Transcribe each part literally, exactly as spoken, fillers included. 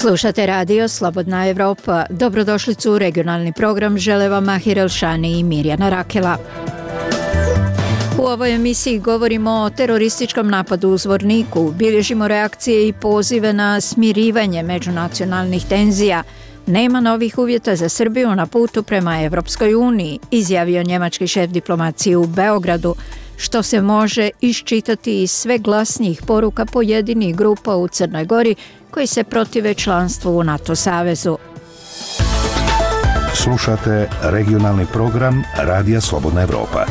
Slušate radio Slobodna Evropa. Dobrodošlicu u regionalni program žele vam Mahir Elšani i Mirjana Rakela. U ovoj emisiji govorimo o terorističkom napadu u Zvorniku, bilježimo reakcije i pozive na smirivanje međunacionalnih tenzija. Nema novih uvjeta za Srbiju na putu prema Evropskoj uniji, izjavio njemački šef diplomacije u Beogradu, što se može iščitati iz sve glasnijih poruka pojedinih grupa u Crnoj Gori koji se protive članstvu u NATO savezu. Slušate regionalni program Radija Slobodna Evropa.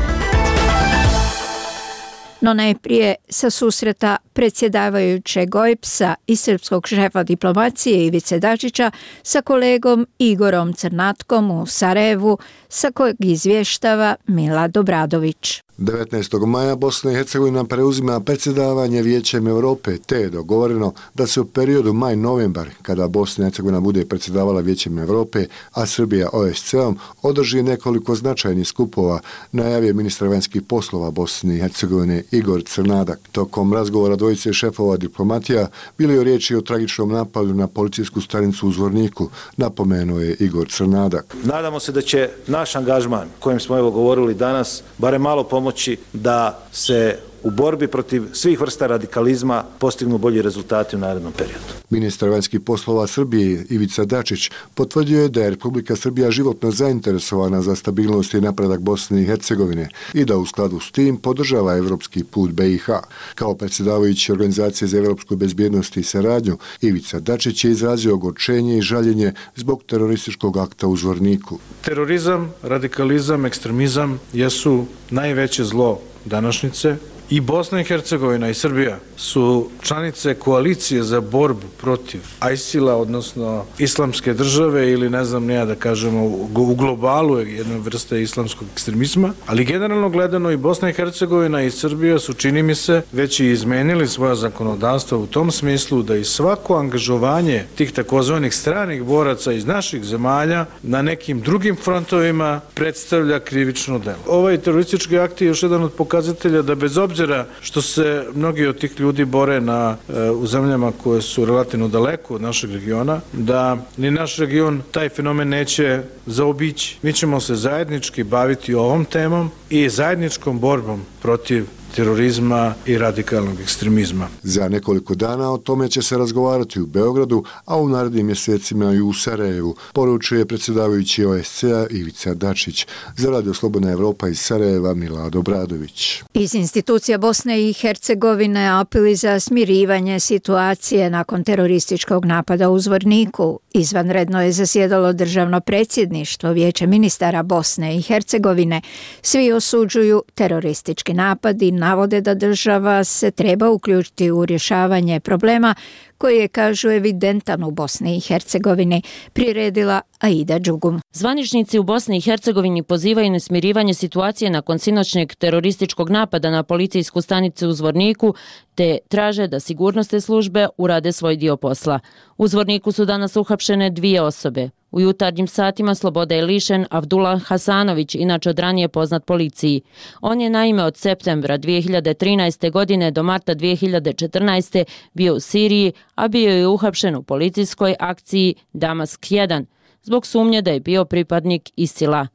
No najprije sa susreta predsjedavajućeg O E B S-a i srpskog šefa diplomacije Ivice Dačića sa kolegom Igorom Crnatkom u Sarajevu, sa kojeg izvještava Milad Obradović. devetnaestog maja Bosna i Hercegovina preuzima predsjedavanje Vijećem Europe, te je dogovoreno da se u periodu maj-novembar, kada Bosna i Hercegovina bude predsjedavala Vijećem Europe, a Srbija O E S C E-om, održi nekoliko značajnih skupova, najavio ministar vanjskih poslova Bosne i Hercegovine Igor Crnadak. Tokom razgovora dvojice šefova diplomatija bilo je riječi o tragičnom napadu na policijsku stanicu u Zvorniku, napomenuo je Igor Crnadak. Nadamo se da će naš angažman, kojem smo evo govorili danas, barem malo pomoći da se u borbi protiv svih vrsta radikalizma postignu bolji rezultati u narednom periodu. Ministar vanjskih poslova Srbije Ivica Dačić potvrdio je da je Republika Srbija životno zainteresovana za stabilnost i napredak Bosne i Hercegovine i da u skladu s tim podržava evropski put B i H. Kao predsjedavajući Organizacije za evropsku bezbjednost i saradnju, Ivica Dačić je izrazio ogorčenje i žaljenje zbog terorističkog akta u Zvorniku. Terorizam, radikalizam, ekstremizam jesu najveće zlo današnjice. I Bosna i Hercegovina i Srbija su članice koalicije za borbu protiv ISIL-a, odnosno islamske države ili ne znam nija da kažemo u globalu jedne vrste islamskog ekstremizma, ali generalno gledano i Bosna i Hercegovina i Srbija su, čini mi se, već i izmenili svoja zakonodavstva u tom smislu da i svako angažovanje tih takozvanih stranih boraca iz naših zemalja na nekim drugim frontovima predstavlja krivično delo. Ovaj teroristički akt je još jedan od pokazatelja da bez obzira što se mnogi od tih ljudi bore na, u zemljama koje su relativno daleko od našeg regiona, da ni naš region taj fenomen neće zaobići. Mi ćemo se zajednički baviti ovom temom i zajedničkom borbom protiv terorizma i radikalnog ekstremizma. Za nekoliko dana o tome će se razgovarati u Beogradu, a u narednim mjesecima i u Sarajevu, poručuje predsjedavajući O E S C E-a Ivica Dačić. Za Radio Slobodna Evropa iz Sarajeva Milad Obradović. Iz institucija Bosne i Hercegovine apeli za smirivanje situacije nakon terorističkog napada u Zvorniku. Izvanredno je zasjedalo državno predsjedništvo Vijeća ministara Bosne i Hercegovine. Svi osuđuju teroristički napad i navode da država se treba uključiti u rješavanje problema koji je, kažu, evidentan u Bosni i Hercegovini, priredila Aida Đugum. Zvaničnici u Bosni i Hercegovini pozivaju na smirivanje situacije nakon sinoćnjeg terorističkog napada na policijsku stanicu u Zvorniku, te traže da sigurnosne službe urade svoj dio posla. U Zvorniku su danas uhapšene dvije osobe. U jutarnjim satima slobode je lišen Avdullah Hasanović, inače od ranije poznat policiji. On je naime od septembra dvije hiljade trinaeste. godine do marta dvije hiljade četrnaeste. bio u Siriji, a bio je uhapšen u policijskoj akciji Damask jedan. Zbog sumnje da je bio pripadnik ISIL-a.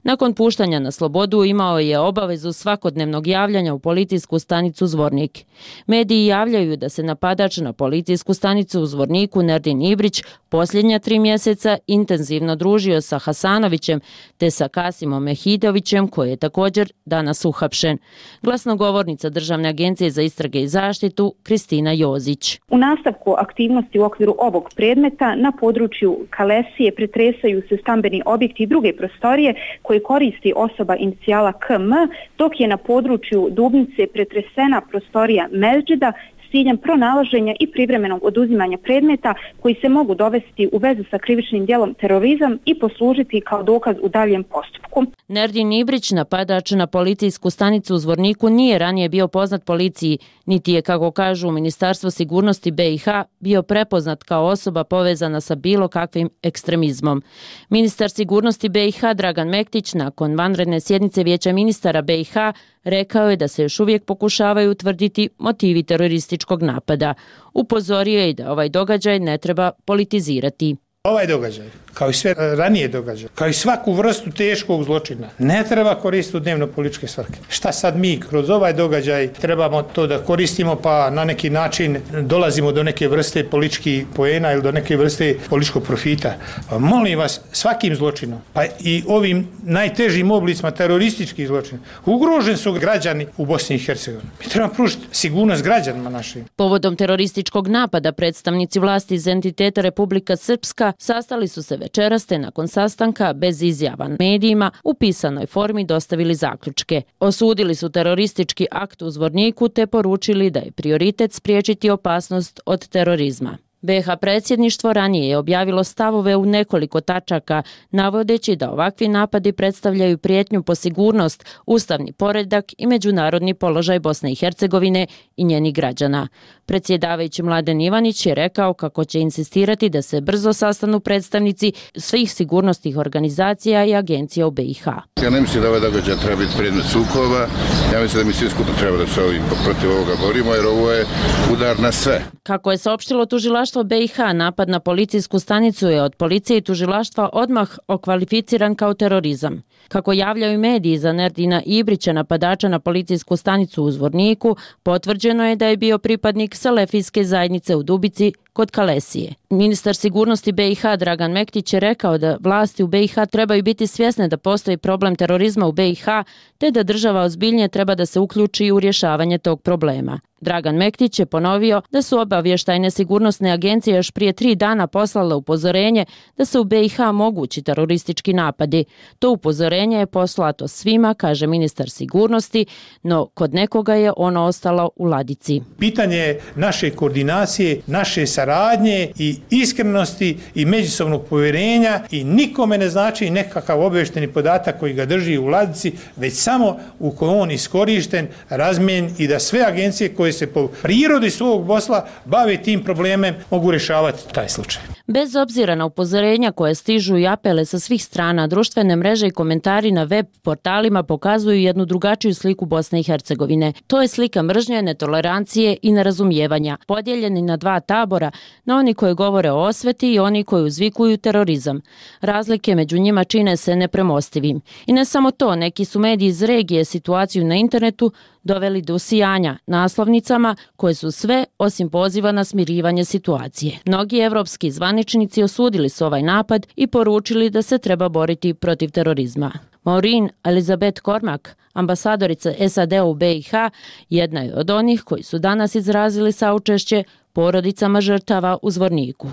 Nakon puštanja na slobodu imao je obavezu svakodnevnog javljanja u policijsku stanicu Zvornik. Mediji javljaju da se napadač na policijsku stanicu u Zvorniku Nerdin Ibrić posljednja tri mjeseca intenzivno družio sa Hasanovićem te sa Kasimom Mehidovićem, koji je također danas uhapšen. Glasnogovornica Državne agencije za istrage i zaštitu Kristina Jozić. U nastavku aktivnosti u okviru ovog predmeta na području Kalesije pretresaju se stambeni objekti i druge prostorije koje koristi osoba inicijala K M, dok je na području Dubnice pretresena prostorija Mezdžida s ciljem pronalaženja i privremenog oduzimanja predmeta koji se mogu dovesti u vezu sa krivičnim djelom terorizam i poslužiti kao dokaz u daljem postupku. Nerdin Ibrić, napadač na policijsku stanicu u Zvorniku, nije ranije bio poznat policiji, niti je, kako kažu u Ministarstvu sigurnosti B i H, bio prepoznat kao osoba povezana sa bilo kakvim ekstremizmom. Ministar sigurnosti B i H Dragan Mektić nakon vanredne sjednice Vijeća ministara B i H rekao je da se još uvijek pokušavaju utvrditi motivi terorističkog terorističkog napada. Upozorio je i da ovaj događaj ne treba politizirati. Ovaj događaj, kao i sve ranije događaje, kao i svaku vrstu teškog zločina, ne treba koristiti u dnevno političke svrhe. Šta sad mi kroz ovaj događaj trebamo to da koristimo pa na neki način dolazimo do neke vrste političkih poena ili do neke vrste političkog profita? Pa molim vas, svakim zločinom, pa i ovim najtežim oblicima terorističkih zločina, ugroženi su građani u Bosni i Hercegovini. Mi trebamo pružiti sigurnost građanima našim. Povodom terorističkog napada predstavnici vlasti iz entiteta Republika Srpska sastali su se večeras te nakon sastanka bez izjava medijima u pisanoj formi dostavili zaključke. Osudili su teroristički akt u Zvorniku te poručili da je prioritet spriječiti opasnost od terorizma. be ha predsjedništvo ranije je objavilo stavove u nekoliko tačaka, navodeći da ovakvi napadi predstavljaju prijetnju po sigurnost, ustavni poredak i međunarodni položaj Bosne i Hercegovine i njenih građana. Predsjedavajući Mladen Ivanić je rekao kako će insistirati da se brzo sastanu predstavnici svih sigurnosnih organizacija i agencija u be i ha. Ja ne mislim da ovaj događaj treba biti predmet sukoba, ja mislim da mi svi skupa treba da se ovim protiv ovoga borimo jer ovo je udar na sve. Kako je saopštilo tužilaštvo be i ha, napad na policijsku stanicu je od policije i tužilaštva odmah okvalificiran kao terorizam. Kako javljaju mediji za Nerdina Ibrića, napadača na policijsku stanicu u Zvorniku, potvrđeno je da je bio pripadnik Selefijske zajednice u Dubici kod Kalesije. Ministar sigurnosti be i ha Dragan Mektić je rekao da vlasti u be i ha trebaju biti svjesne da postoji problem terorizma u be i ha, te da država ozbiljnije treba da se uključi u rješavanje tog problema. Dragan Mektić je ponovio da su obavještajne sigurnosne agencije još prije tri dana poslale upozorenje da se u be i ha mogući teroristički napadi. To upozorenje je poslato svima, kaže ministar sigurnosti, no kod nekoga je ono ostalo u ladici. Pitanje je naše koordinacije, naše saradnje i iskrenosti i međusobnog povjerenja i nikome ne znači nekakav obavještajni podatak koji ga drži u ladici, već samo u kojoj on iskorišten, razmijen i da sve agencije koje se po prirodi svog posla bave tim problemem mogu rješavati taj slučaj. Bez obzira na upozorenja koje stižu i apele sa svih strana, društvene mreže i komentari na web portalima pokazuju jednu drugačiju sliku Bosne i Hercegovine. To je slika mržnje, netolerancije i nerazumijevanja, podijeljeni na dva tabora, na oni koji govore o osveti i oni koji uzvikuju terorizam. Razlike među njima čine se nepremostivim. I ne samo to, neki su mediji iz regije situaciju na internetu doveli do usijanja naslovnicama koje su sve osim poziva na smirivanje situacije. Mnogi evropski zvaničnici osudili su ovaj napad i poručili da se treba boriti protiv terorizma. Maureen Elizabeth Cormack, ambasadorica es a de u be i ha, jedna je od onih koji su danas izrazili saučešće porodicama žrtava u Zvorniku.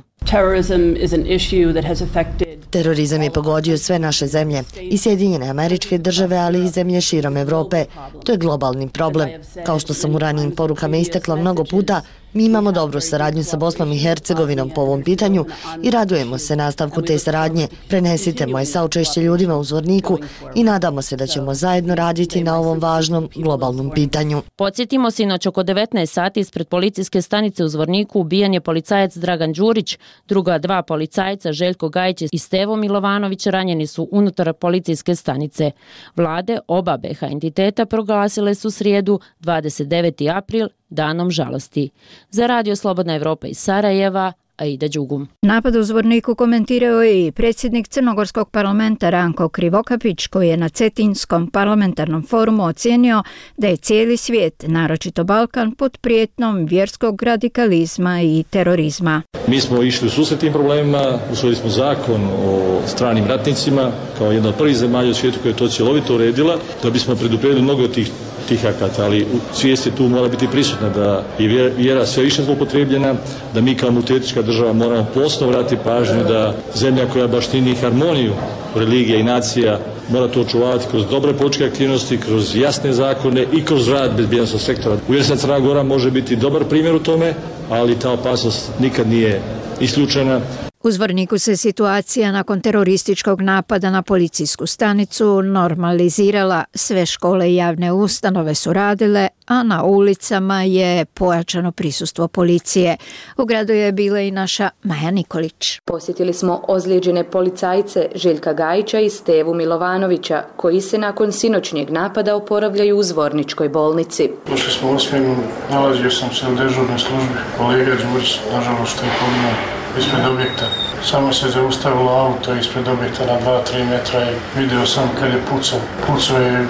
Terorizam je pogodio sve naše zemlje, i Sjedinjene Američke Države, ali i zemlje širom Evrope. To je globalni problem. Kao što sam u ranijim porukama istakla mnogo puta, mi imamo dobru saradnju sa Bosnom i Hercegovinom po ovom pitanju i radujemo se nastavku te saradnje. Prenesite moje saučešće ljudima u Zvorniku i nadamo se da ćemo zajedno raditi na ovom važnom globalnom pitanju. Podsjetimo, sinoć oko devetnaest sati ispred policijske stanice u Zvorniku ubijen je policajac Dragan Đurić, druga dva policajca Željko Gajić i Stevo Milovanović ranjeni su unutar policijske stanice. Vlade oba be ha entiteta proglasile su srijedu dvadeset deveti april danom žalosti. Za Radio Slobodna Evropa iz Sarajeva, Aida Đugum. Napad u Zvorniku komentirao je i predsjednik Crnogorskog parlamenta Ranko Krivokapić, koji je na Cetinskom parlamentarnom forumu ocijenio da je cijeli svijet, naročito Balkan, pod prijetnom vjerskog radikalizma i terorizma. Mi smo išli u susret tim problemima, usvojili smo zakon o stranim ratnicima kao jedna od prvih zemalja u svijetu koja je to cjelovito uredila, da bismo predupredili mnogo tih tih akata, ali svijest tu mora biti prisutna da je vjera sve više zloupotrebljena, da mi kao multietnička država moramo posebno vratiti pažnju da zemlja koja baštini harmoniju religija i nacija mora to očuvati kroz dobre političke aktivnosti, kroz jasne zakone i kroz rad bezbjednosnog sektora. Uvjeren sam, Crna Gora može biti dobar primjer u tome, ali ta opasnost nikad nije isključena. U Zvorniku se situacija nakon terorističkog napada na policijsku stanicu normalizirala. Sve škole i javne ustanove su radile, a na ulicama je pojačano prisustvo policije. U gradu je bila i naša Maja Nikolić. Posjetili smo ozlijeđene policajce Željka Gajića i Stevu Milovanovića, koji se nakon sinoćnjeg napada oporavljaju u Zvorničkoj bolnici. Došli smo u osminu, nalazio sam se u dežurnoj službi. Kolega Đurić, nažalost, što je poginuo ispred objekta. Samo se zaustavilo auto ispred objekta na dva do tri metra i vidio sam kad je pucao. Pucao je,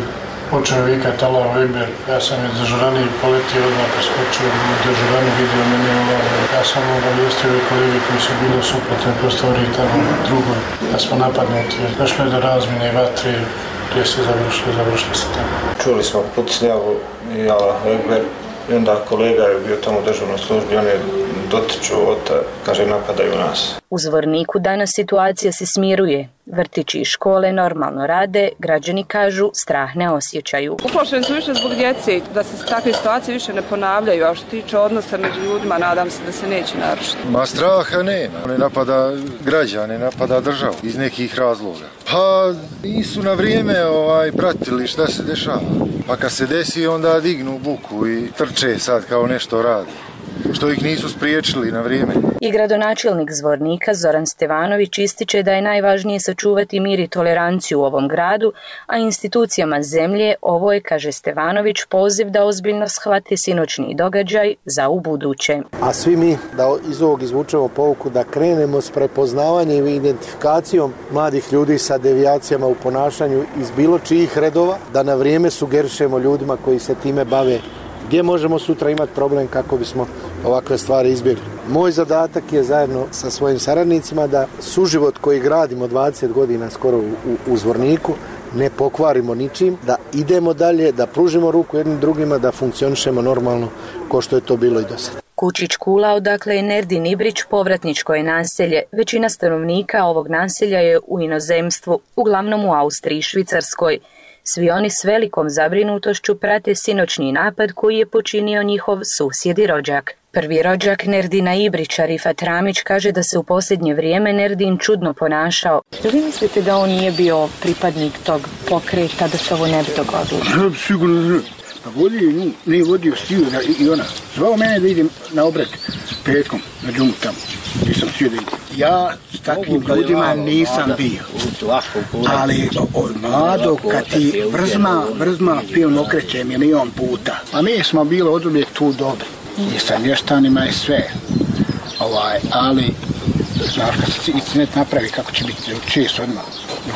počeo vikati Allahu Ekber. Ja sam je dežuraniji poletio odmah, preskočio u dežuranu, vidio mene Allahu. Ja sam obavijestio i kolege koji su bili u suprotnoj prostoriji tamo drugoj, da smo napadnuti. Došlo je do razmjene i vatre, gdje se završilo, završilo se tamo. Čuli smo pucnjavu i Allahu Ekber. I onda kolega je bio tamo u dežurnoj službi, on je dotiču od, kaže, napadaju nas. U Zvorniku danas situacija se smiruje. Vrtići i škole normalno rade, građani kažu strah ne osjećaju. Uplašeni su više zbog djece, da se takve situacije više ne ponavljaju, a što tiče odnosa među ljudima, nadam se da se neće narušiti. Ma straha nema, ne napada građane, napada državu iz nekih razloga. Pa nisu na vrijeme ovaj, pratili šta se dešava. Pa kad se desi onda dignu buku i trče sad kao nešto radi, što ih nisu spriječili na vrijeme. I gradonačelnik Zvornika Zoran Stevanović ističe da je najvažnije sačuvati mir i toleranciju u ovom gradu, a institucijama zemlje ovo je, kaže Stevanović, poziv da ozbiljno shvate sinoćni događaj za ubuduće. A svi mi da iz ovog izvučemo pouku da krenemo s prepoznavanjem i identifikacijom mladih ljudi sa devijacijama u ponašanju iz bilo čijih redova, da na vrijeme sugerišemo ljudima koji se time bave gdje možemo sutra imati problem kako bismo ovakve stvari izbjegli. Moj zadatak je zajedno sa svojim saradnicima da suživot koji gradimo dvadeset godina skoro u, u, u Zvorniku ne pokvarimo ničim, da idemo dalje, da pružimo ruku jednim drugima, da funkcionišemo normalno kao što je to bilo i do sada. Kučić Kula, odakle je Nerdin Ibrić, povratničko je naselje. Većina stanovnika ovog naselja je u inozemstvu, uglavnom u Austriji i Švicarskoj. Svi oni s velikom zabrinutošću prate sinoćni napad koji je počinio njihov susjed i rođak. Prvi rođak Nerdina Ibrića, Rifat Ramić, kaže da se u posljednje vrijeme Nerdin čudno ponašao. Da li mislite da on nije bio pripadnik tog pokreta, da se ovo ne bi dogodilo? Sigurno, pa vodio, nije vodio stiju i ona. Zvao mene da idem na obred petkom na džumu tamo. Nisam htio da idem. Ja s takvim ljudima nisam bio. Ali, Mlado, kad ti vrzma, vrzma film okreće milion puta. A mi smo bili od uvijek tu dobri. I sa mještanima i sve. Ovaj, ali, znaš, kad se internet napravi, kako će biti, uči se odmah.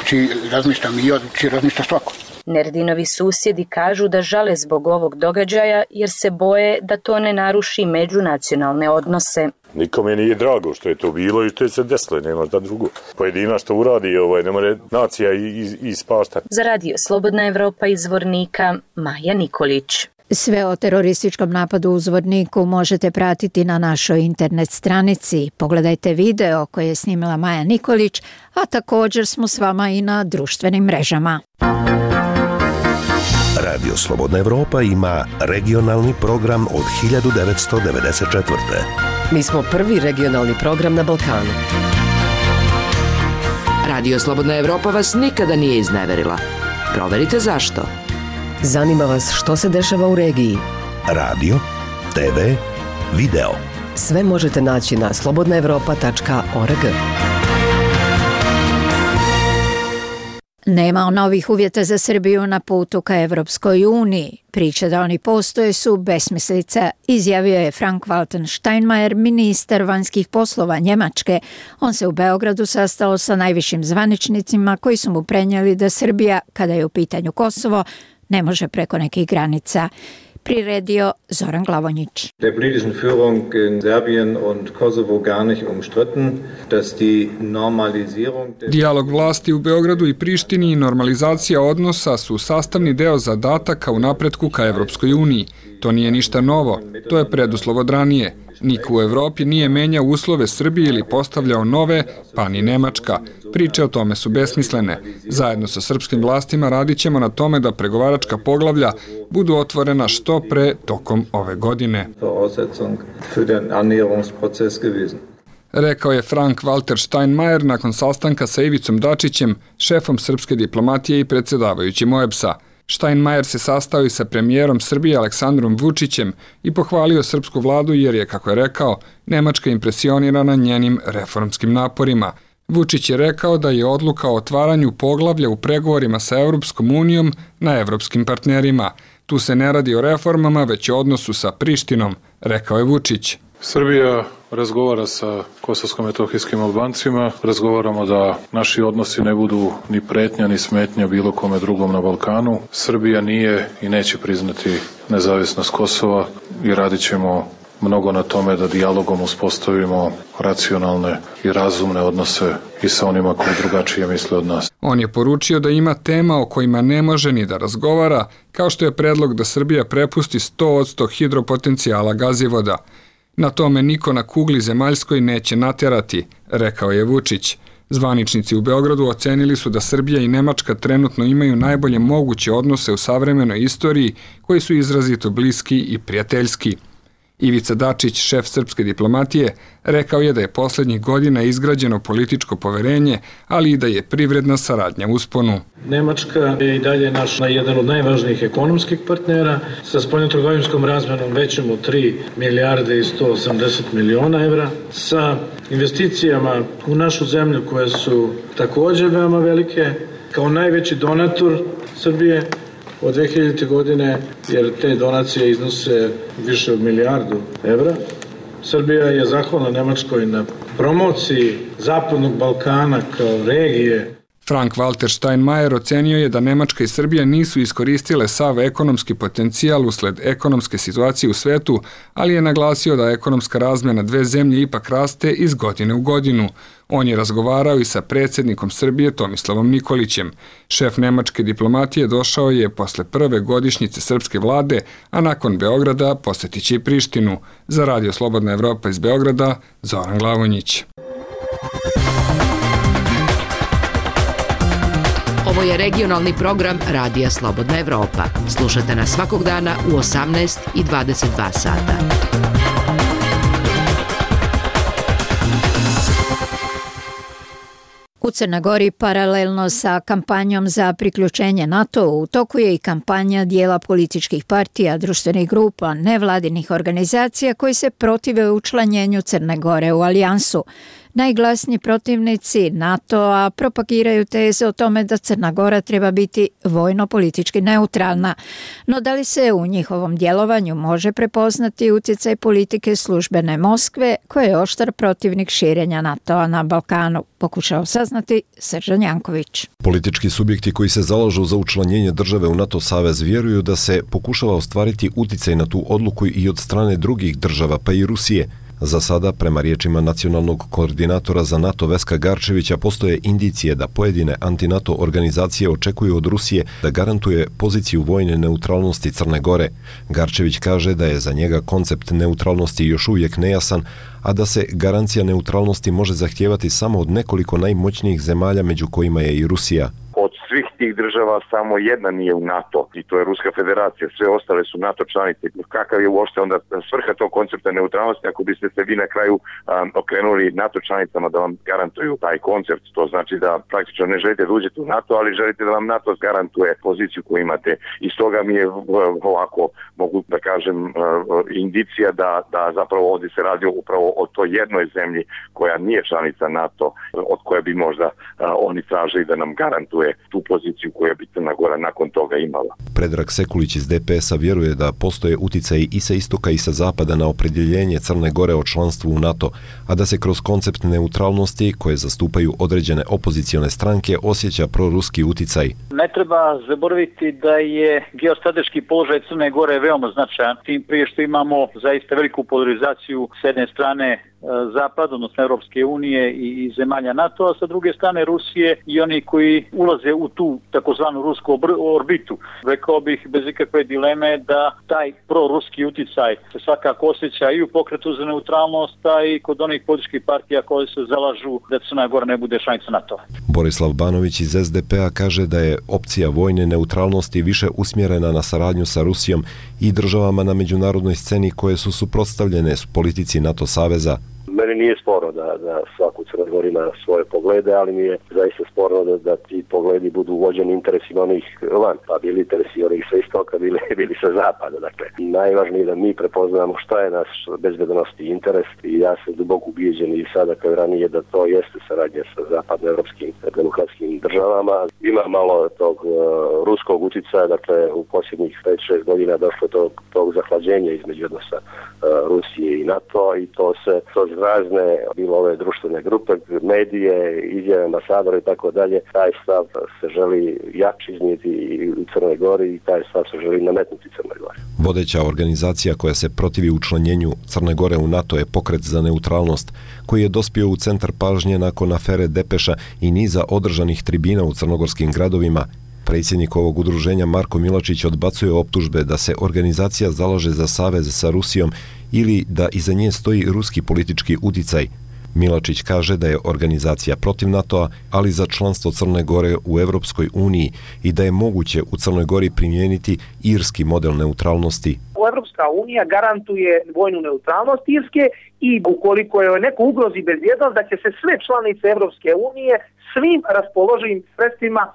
Uči, razmišljam i od, uči, razmišlja svako. Nerdinovi susjedi kažu da žale zbog ovog događaja jer se boje da to ne naruši međunacionalne odnose. Nikome nije drago što je to bilo i što je se desilo, nema šta drugo. Pojedina što uradi, ovaj, ne more nacija ispašta. Za radio Slobodna Evropa iz Zvornika, Maja Nikolić. Sve o terorističkom napadu u Zvorniku možete pratiti na našoj internet stranici. Pogledajte video koje je snimila Maja Nikolić, a također smo s vama i na društvenim mrežama. Radio Slobodna Evropa ima regionalni program od hiljadu devetsto devedeset četvrte. Mi smo prvi regionalni program na Balkanu. Radio Slobodna Evropa vas nikada nije izneverila. Proverite zašto. Zanima vas što se dešava u regiji. Radio, te ve, video. Sve možete naći na slobodna evropa tačka org. Nema novih uvjeta za Srbiju na putu ka Evropskoj uniji. Priče da oni postoje su besmislica, izjavio je Frank-Walter Steinmeier, ministar vanjskih poslova Njemačke. On se u Beogradu sastao sa najvišim zvaničnicima koji su mu prenijeli da Srbija, kada je u pitanju Kosovo, ne može preko nekih granica. Priredio Zoran Glavonjić. Der politischen Führung in Serbien und Kosovo gar nicht umstritten, dass die Normalisierung... Dijalog vlasti u Beogradu i Prištini i normalizacija odnosa su sastavni deo zadataka u napretku ka Evropskoj uniji. To nije ništa novo, to je preduslov od ranije. Niko u Evropi nije menjao uslove Srbije ili postavljao nove, pa ni Nemačka. Priče o tome su besmislene. Zajedno sa srpskim vlastima radit ćemo na tome da pregovaračka poglavlja budu otvorena što pre tokom ove godine. rekao je Frank-Walter Steinmeier nakon sastanka sa Ivicom Dačićem, šefom srpske diplomatije i predsjedavajućim O E B S-a. Steinmeier se sastao i sa premijerom Srbije Aleksandrom Vučićem i pohvalio srpsku vladu jer je, kako je rekao, Nemačka impresionirana njenim reformskim naporima. Vučić je rekao da je odluka o otvaranju poglavlja u pregovorima sa Evropskom unijom na evropskim partnerima. Tu se ne radi o reformama, već o odnosu sa Prištinom, rekao je Vučić. Srbija razgovara sa kosovsko-metohijskim Albancima, razgovaramo da naši odnosi ne budu ni pretnja ni smetnja bilo kome drugom na Balkanu. Srbija nije i neće priznati nezavisnost Kosova i radit ćemo mnogo na tome da dijalogom uspostavimo racionalne i razumne odnose i sa onima koji drugačije misle od nas. On je poručio da ima tema o kojima ne može ni da razgovara, kao što je predlog da Srbija prepusti sto posto hidropotencijala gazivoda. Na tome niko na kugli zemaljskoj neće natjerati, rekao je Vučić. Zvaničnici u Beogradu ocenili su da Srbija i Nemačka trenutno imaju najbolje moguće odnose u savremenoj istoriji, koji su izrazito bliski i prijateljski. Ivica Dačić, šef srpske diplomatije, rekao je da je posljednjih godina izgrađeno političko poverenje, ali i da je privredna saradnja usponu. Nemačka je i dalje naš jedan od najvažnijih ekonomskih partnera sa spoljnotrgovinskom razmjenom većom od tri milijarde i sto osamdeset miliona evra, sa investicijama u našu zemlju koje su također veoma velike, kao najveći donator Srbije od dve hiljadite. godine, jer te donacije iznose više od milijardu evra. Srbija je zahvalna Nemačkoj na promociji Zapadnog Balkana kao regije. Frank-Walter Steinmeier ocenio je da Nemačka i Srbija nisu iskoristile sav ekonomski potencijal usled ekonomske situacije u svetu, ali je naglasio da ekonomska razmjena dve zemlje ipak raste iz godine u godinu. On je razgovarao i sa predsjednikom Srbije Tomislavom Nikolićem. Šef nemačke diplomatije došao je posle prve godišnjice srpske vlade, a nakon Beograda posjetit će i Prištinu. Za Radio Slobodna Evropa iz Beograda, Zoran Glavonjić. Ovo je regionalni program Radija Slobodna Evropa. Slušajte nas svakog dana u osamnaest i dvadeset dva sata. U Crnoj Gori paralelno sa kampanjom za priključenje NATO u toku je i kampanja dijela političkih partija, društvenih grupa, nevladinih organizacija koji se protive učlanjenju Crne Gore u alijansu. Najglasniji protivnici NATO-a propagiraju teze o tome da Crna Gora treba biti vojno-politički neutralna. No da li se u njihovom djelovanju može prepoznati utjecaj politike službene Moskve, koja je oštar protivnik širenja NATO-a na Balkanu? Pokušao saznati Srđan Janković. Politički subjekti koji se zalažu za učlanjenje države u NATO savez vjeruju da se pokušava ostvariti utjecaj na tu odluku i od strane drugih država, pa i Rusije. Za sada, prema riječima nacionalnog koordinatora za NATO Veska Garčevića, postoje indicije da pojedine anti-NATO organizacije očekuju od Rusije da garantuje poziciju vojne neutralnosti Crne Gore. Garčević kaže da je za njega koncept neutralnosti još uvijek nejasan, a da se garancija neutralnosti može zahtijevati samo od nekoliko najmoćnijih zemalja, među kojima je i Rusija. Od svih tih država samo jedna nije u NATO i to je Ruska federacija, sve ostale su NATO članice. Kakav je uopšte onda svrha tog koncepta neutralnosti ako biste se vi na kraju um, okrenuli NATO članicama da vam garantuju taj koncept? To znači da praktično ne želite da uđete u NATO, ali želite da vam NATO garantuje poziciju koju imate. I stoga mi je ovako, mogu da kažem, uh, indicija da, da zapravo ovdje se radi upravo o toj jednoj zemlji koja nije članica NATO, od koje bi možda uh, oni tražili da nam garantuje tu poziciju koju bi Crna Gora nakon toga imala. Predrag Sekulić iz D P S-a vjeruje da postoje uticaji i sa istoka i sa zapada na opredjeljenje Crne Gore o članstvu u NATO, a da se kroz koncept neutralnosti koje zastupaju određene opozicione stranke osjeća proruski uticaj. Ne treba zaboraviti da je geostrateški položaj Crne Gore veoma značajan, tim prije što imamo zaista veliku polarizaciju s jedne strane Zapad, odnosno Europske unije i zemalja NATO, a sa druge strane Rusije i oni koji ulaze u tu takozvanu rusku orbitu. Rekao bih bez ikakve dileme da taj proruski uticaj se svakako osjeća i u pokretu za neutralnost, a i kod onih političkih partija koje se zalažu da Crna Gora ne bude članica NATO. Borislav Banović iz S D P-a kaže da je opcija vojne neutralnosti više usmjerena na saradnju sa Rusijom i državama na međunarodnoj sceni koje su suprotstavljene s politici NATO saveza. Meni nije sporno da, da svako u Crnoj Gori ima svoje poglede, ali mi je zaista sporno da, da ti pogledi budu uvođeni interesima onih van, pa bili interesi onih sa istoka, bili, bili sa zapada. Dakle, najvažnije je da mi prepoznamo šta je naš bezbednosni interes i ja sam duboko ubijeđen i sada kao i ranije da to jeste saradnja sa zapadnoevropskim demokratskim državama. Ima malo tog uh, ruskog uticaja, dakle u posljednjih pet šest godina došlo do tog zahlađenja između odnosa uh, Rusije i NATO i to se kroz razne, bilo ove društvene grupe, medije, izjave ambasadora i tako dalje, taj stav se želi jači iznijeti i u Crnoj Gori i taj stav se želi nametnuti Crnoj Gori. Vodeća organizacija koja se protivi učlanjenju Crne Gore u NATO je Pokret za neutralnost, koji je dospio u centar pažnje nakon afere Depeša i niza održanih tribina u crnogorskim gradovima. Predsjednik ovog udruženja Marko Milačić odbacuje optužbe da se organizacija zalaže za savez sa Rusijom ili da iza nje stoji ruski politički uticaj. Milačić kaže da je organizacija protiv NATO-a, ali za članstvo Crne Gore u Evropskoj uniji i da je moguće u Crnoj Gori primijeniti irski model neutralnosti. Evropska unija garantuje vojnu neutralnost Irske i ukoliko je neko ugrozi bezbjednost, da će se sve članice Evropske unije svim raspoloživim sredstvima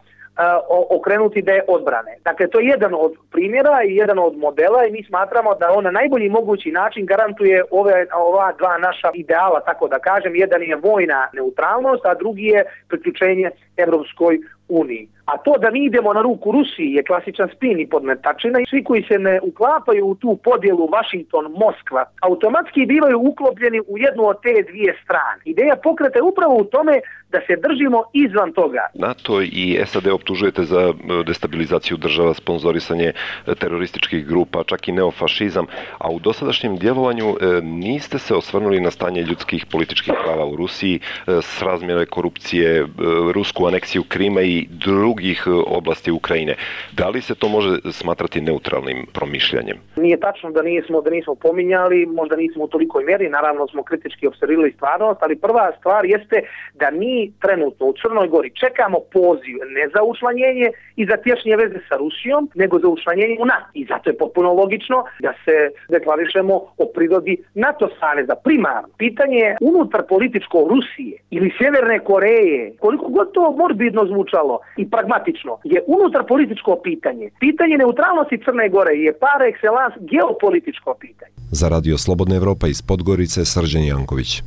okrenuti da je odbrane. Dakle, to je jedan od primjera i jedan od modela i mi smatramo da on na najbolji mogući način garantuje ove, ova dva naša ideala, tako da kažem. Jedan je vojna neutralnost, a drugi je priključenje Evropskoj uniji. A to da mi idemo na ruku Rusiji je klasičan spin i podmetačina i svi koji se ne uklapaju u tu podjelu Washington-Moskva automatski bivaju uklopljeni u jednu od te dvije strane. Ideja pokreta je upravo u tome da se držimo izvan toga. NATO i S A D optužujete za destabilizaciju država, sponzorisanje terorističkih grupa, čak i neofašizam, a u dosadašnjem djelovanju niste se osvrnuli na stanje ljudskih političkih prava u Rusiji, srazmjere korupcije, rusku aneksiju Krima i drugih oblasti Ukrajine. Da li se to može smatrati neutralnim promišljanjem? Nije tačno da nismo, da nismo pominjali, možda nismo u tolikoj mjeri, naravno smo kritički observirali stvarnost, ali prva stvar jeste da mi trenutno u Crnoj Gori čekamo poziv ne za učlanjenje i za tješnje veze sa Rusijom, nego za učlanjenje u NATO. I zato je potpuno logično da se deklarišemo o prirodi NATO saveza. Primarno, pitanje unutar političko Rusije ili Sjeverne Koreje, koliko god to morbidno zvučalo i pragmatično, je unutar političko pitanje. Pitanje neutralnosti Crne Gore je par excellence geopolitičko pitanje. Za Radio Slobodna Evropa iz Podgorice, Srđan Janković.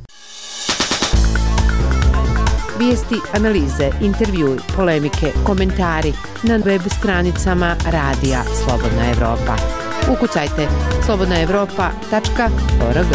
Vijesti, analize, intervjui, polemike, komentari na web stranicama Radija Slobodna Evropa. Ukucajte slobodna evropa tačka org.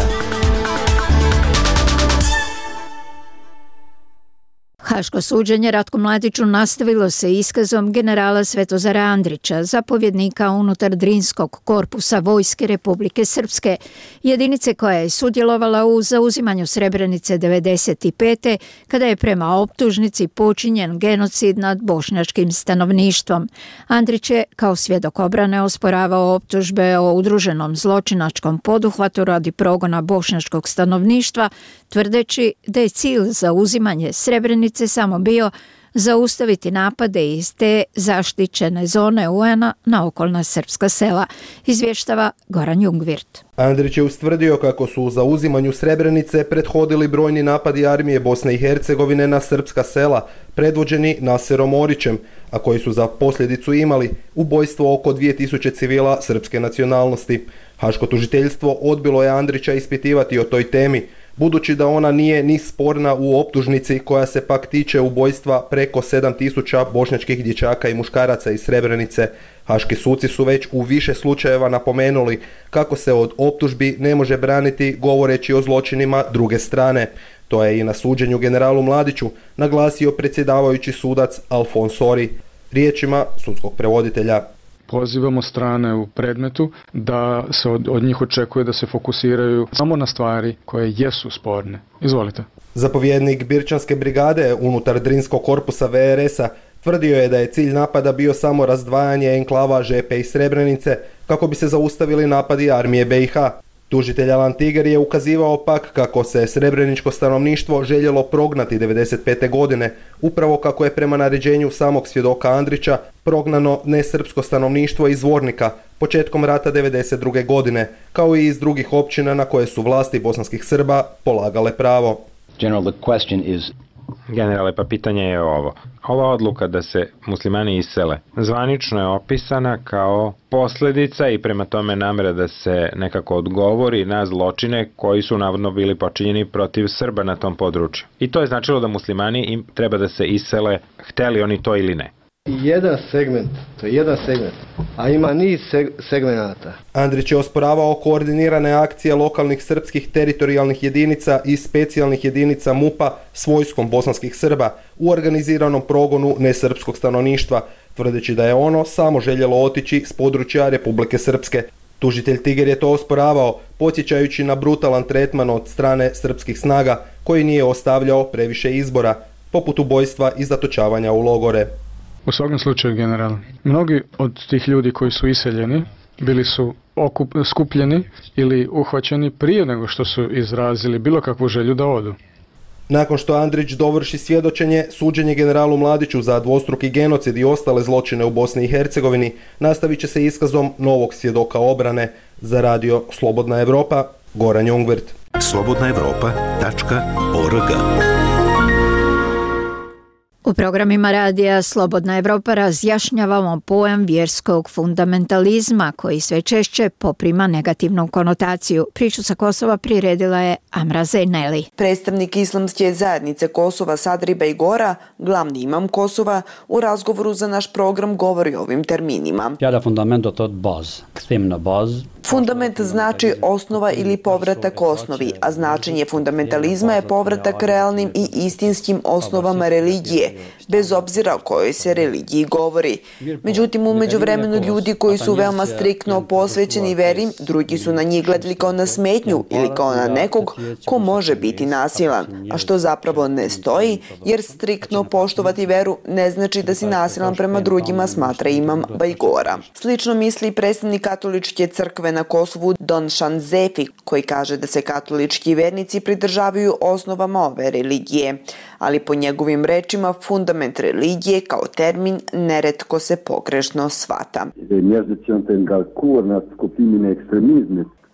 Haško suđenje Ratku Mladiću nastavilo se iskazom generala Svetozara Andrića, zapovjednika unutar Drinskog korpusa Vojske Republike Srpske, jedinice koja je sudjelovala u zauzimanju Srebrenice devedeset pete. kada je prema optužnici počinjen genocid nad bošnjačkim stanovništvom. Andrić je kao svjedok obrane osporavao optužbe o udruženom zločinačkom poduhvatu radi progona bošnjačkog stanovništva, tvrdeći da je cilj za uzimanje Srebrenice samo bio zaustaviti napade iz te zaštićene zone U N-a na okolna srpska sela, izvještava Goran Jungvirt. Andrić je ustvrdio kako su u zauzimanju Srebrenice prethodili brojni napadi armije Bosne i Hercegovine na srpska sela, predvođeni Naserom Orićem, a koji su za posljedicu imali ubojstvo oko dvije tisuće civila srpske nacionalnosti. Haško tužiteljstvo odbilo je Andrića ispitivati o toj temi, budući da ona nije ni sporna u optužnici koja se pak tiče ubojstva preko sedam tisuća bošnjačkih dječaka i muškaraca iz Srebrenice. Haški suci su već u više slučajeva napomenuli kako se od optužbi ne može braniti govoreći o zločinima druge strane. To je i na suđenju generalu Mladiću naglasio predsjedavajući sudac Alfons Sori. Riječima sudskog prevoditelja: pozivamo strane u predmetu da se od, od njih očekuje da se fokusiraju samo na stvari koje jesu sporne. Izvolite. Zapovjednik Birčanske brigade unutar Drinskog korpusa V R S-a tvrdio je da je cilj napada bio samo razdvajanje enklava Žepe i Srebrenice kako bi se zaustavili napadi armije B i H. Tužitelj Alan Tiger je ukazivao pak kako se srebreničko stanovništvo željelo prognati devedeset pete godine, upravo kako je prema naređenju samog svjedoka Andrića prognano nesrpsko stanovništvo iz Zvornika početkom rata devedeset druge godine, kao i iz drugih općina na koje su vlasti bosanskih Srba polagale pravo. General, the question is... Generale, pa pitanje je ovo. Ova odluka da se muslimani isele zvanično je opisana kao posljedica i prema tome namjera da se nekako odgovori na zločine koji su navodno bili počinjeni protiv Srba na tom području. I to je značilo da muslimani im treba da se isele, hteli oni to ili ne. Jedan segment, to je jedan segment, a ima niz seg- segmenata. Andrić je osporavao koordinirane akcije lokalnih srpskih teritorijalnih jedinica i specijalnih jedinica MUP-a s vojskom bosanskih Srba u organiziranom progonu nesrpskog stanovništva, tvrdeći da je ono samo željelo otići s područja Republike Srpske. Tužitelj Tiger je to osporavao, podsjećajući na brutalan tretman od strane srpskih snaga koji nije ostavljao previše izbora, poput ubojstva i zatočavanja u logore. U svakom slučaju, general, mnogi od tih ljudi koji su iseljeni bili su okup, skupljeni ili uhvaćeni prije nego što su izrazili bilo kakvu želju da odu. Nakon što Andrić dovrši svjedočenje, suđenje generalu Mladiću za dvostruki genocid i ostale zločine u Bosni i Hercegovini nastavit će se iskazom novog svjedoka obrane. Za radio Slobodna Evropa, Goran Jungwirth. slobodna evropa tačka org. U programima radija Slobodna Evropa razjašnjavamo pojam vjerskog fundamentalizma koji sve češće poprima negativnu konotaciju. Priču sa Kosova priredila je Amra Zeyneli. Predstavnik islamske zajednice Kosova Sadri Bejgora, glavni imam Kosova, u razgovoru za naš program govori o ovim terminima. Fjärde fundamentet od baz, ekstremna baz. Fundament znači osnova ili povratak osnovi, a značenje fundamentalizma je povratak realnim i istinskim osnovama religije, bez obzira o kojoj se religiji govori. Međutim, u međuvremenu ljudi koji su veoma striktno posvećeni veri, drugi su na njih gledali kao na smetnju ili kao na nekog ko može biti nasilan, a što zapravo ne stoji, jer striktno poštovati veru ne znači da si nasilan prema drugima, smatra imam Bajgora. Slično misli predstavnik katoličke crkve na Kosovu Don Shanzefi, koji kaže da se katolički vernici pridržavaju osnovama ove religije, ali po njegovim rečima fundament religije kao termin neretko se pogrešno shvata.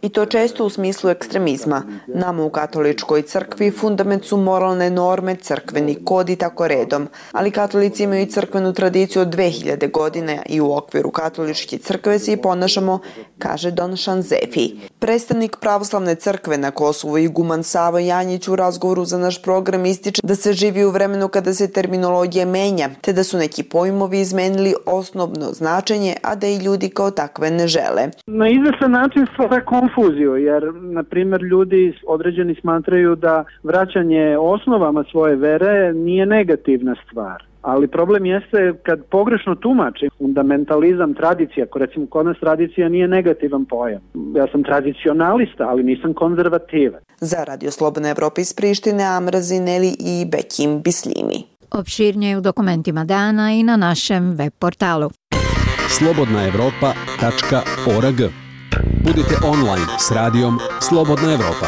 I to često u smislu ekstremizma. Nama u katoličkoj crkvi fundament su moralne norme, crkveni kod i tako redom, ali katolici imaju crkvenu tradiciju od dve hiljade godine i u okviru katoličke crkve se i ponašamo, kaže Don Shanzefi. Predstavnik pravoslavne crkve na Kosovu iguman Savo Janjić u razgovoru za naš program ističe da se živi u vremenu kada se terminologija menja, te da su neki pojmovi izmenili osnovno značenje, a da i ljudi kao takve ne žele. Na izvestan način stvara konfuziju, jer, na primjer, ljudi određeni smatraju da vraćanje osnovama svoje vere nije negativna stvar. Ali problem jeste kad pogrešno tumači fundamentalizam, tradicija, ako recimo kod nas tradicija nije negativan pojam. Ja sam tradicionalista, ali nisam konzervativan. Za Radio Slobodna Evropa iz Prištine, Amra Zeyneli i Bekim Bislimi. Opširnije u dokumentima dana i na našem web portalu. slobodna evropa tačka org. Budite online s radijom Slobodna Evropa.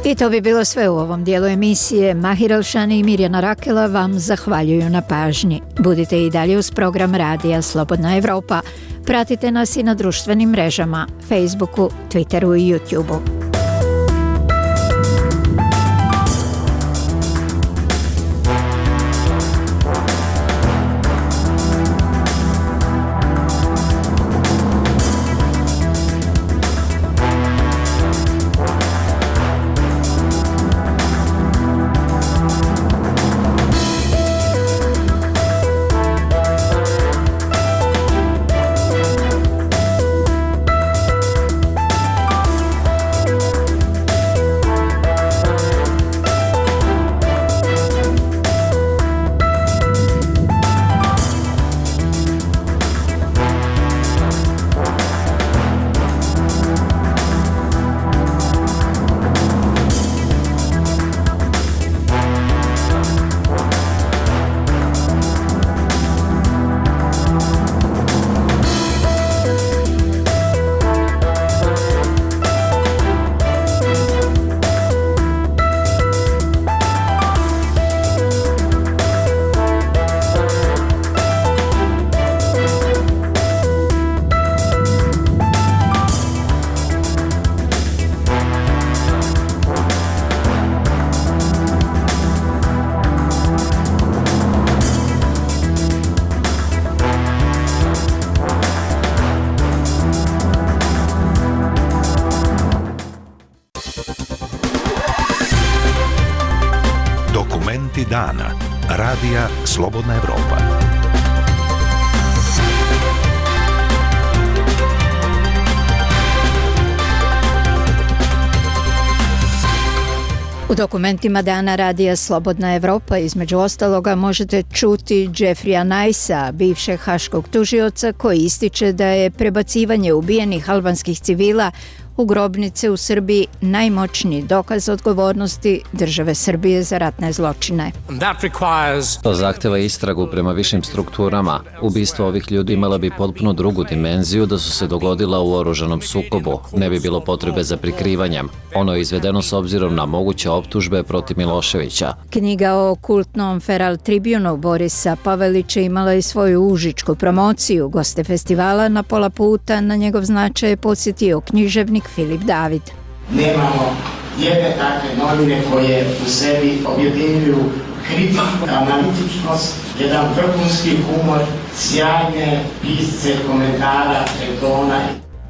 I to bi bilo sve u ovom dijelu emisije. Mahir Elšani i Mirjana Rakela vam zahvaljuju na pažnji. Budite i dalje uz program radija Slobodna Evropa. Pratite nas i na društvenim mrežama, Facebooku, Twitteru i YouTubeu. dana. Radija Slobodna Evropa. U dokumentima Dana radija Slobodna Evropa između ostaloga možete čuti Jeffreya Nicea, bivšeg haškog tužioca, koji ističe da je prebacivanje ubijenih albanskih civila u grobnice u Srbiji najmoćniji dokaz odgovornosti države Srbije za ratne zločine. To zahteva istragu prema višim strukturama. Ubistvo ovih ljudi imala bi potpuno drugu dimenziju da su se dogodila u oružanom sukobu. Ne bi bilo potrebe za prikrivanjem. Ono je izvedeno s obzirom na moguće optužbe protiv Miloševića. Knjiga o kultnom Feral Tribunu Borisa Pavelića imala i svoju užičku promociju. Goste festivala na pola puta na njegov značaj je podsjetio književnik Filip David. Nemamo jedne takve novine koje u sebi objedinjuju kritiku, analitičnost, jedan vrhunski humor, sjajne pisce, komentara, retona.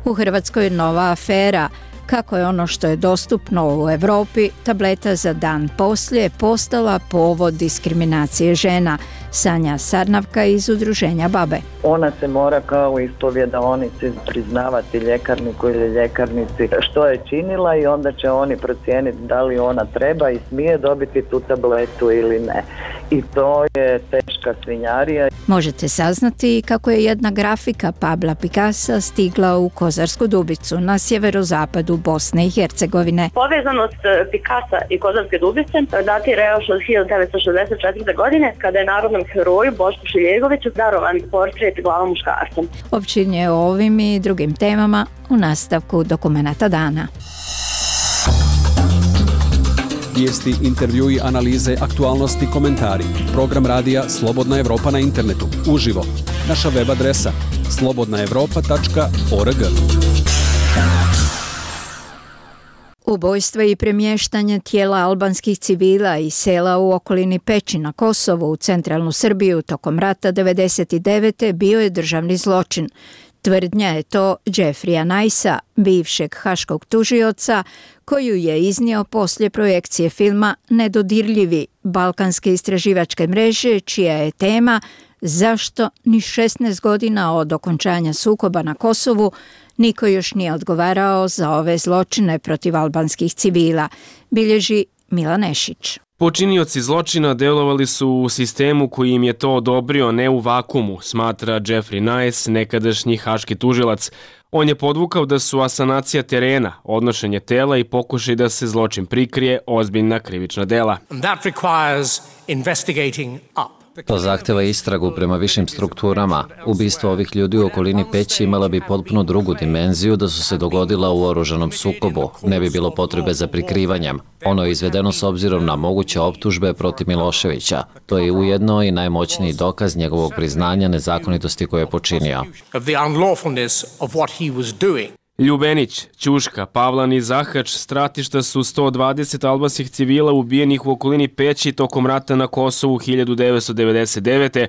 U Hrvatskoj nova afera. Kako je ono što je dostupno u Evropi, tableta za dan poslije, postala povod diskriminacije žena. Sanja Sarnavka iz udruženja Babe. Ona se mora kao u ispovjedaonici priznavati ljekarniku ili ljekarnici što je činila i onda će oni procijeniti da li ona treba i smije dobiti tu tabletu ili ne. I to je teška svinjarija. Možete saznati kako je jedna grafika Pabla Picassa stigla u Kozarsku Dubicu na sjeverozapadu Bosne i Hercegovine. Povezanost Picassa i Kozarske Dubice datira još od hiljadu devetsto šezdeset četvrte. godine kada je narodnom heroju Bošku Šiljegoviću darovan portret glava muškarca. Općinje o ovim i drugim temama u nastavku dokumenata dana. Vijesti, intervjui, analize, aktualnosti, komentari. Program radija Slobodna Evropa na internetu. Uživo. Naša web adresa slobodna evropa tačka org. Ubojstva i premještanje tijela albanskih civila i sela u okolini Peći na Kosovu u centralnu Srbiju tokom rata devedeset devete. bio je državni zločin. Tvrdnja je to Jeffreya Nicea, bivšeg haškog tužioca, koju je iznio poslije projekcije filma Nedodirljivi balkanske istraživačke mreže, čija je tema zašto ni šesnaest godina od okončanja sukoba na Kosovu niko još nije odgovarao za ove zločine protiv albanskih civila, bilježi Milan Nešić. Počinioci zločina delovali su u sistemu koji im je to odobrio, ne u vakumu, smatra Jeffrey Nice, nekadašnji haški tužilac. On je podvukao da su asanacija terena, odnošenje tela i pokušaj da se zločin prikrije ozbiljna krivična dela. To zahteva istragu prema višim strukturama. Ubistvo ovih ljudi u okolini Peći imala bi potpuno drugu dimenziju da su se dogodila u oružanom sukobu. Ne bi bilo potrebe za prikrivanjem. Ono je izvedeno s obzirom na moguće optužbe protiv Miloševića. To je ujedno i najmoćniji dokaz njegovog priznanja nezakonitosti koje je počinio. Ljubenić, Ćuška, Pavlan i Zahač stratišta su sto dvadeset albanskih civila ubijenih u okolini Peći tokom rata na Kosovu hiljadu devetsto devedeset devete.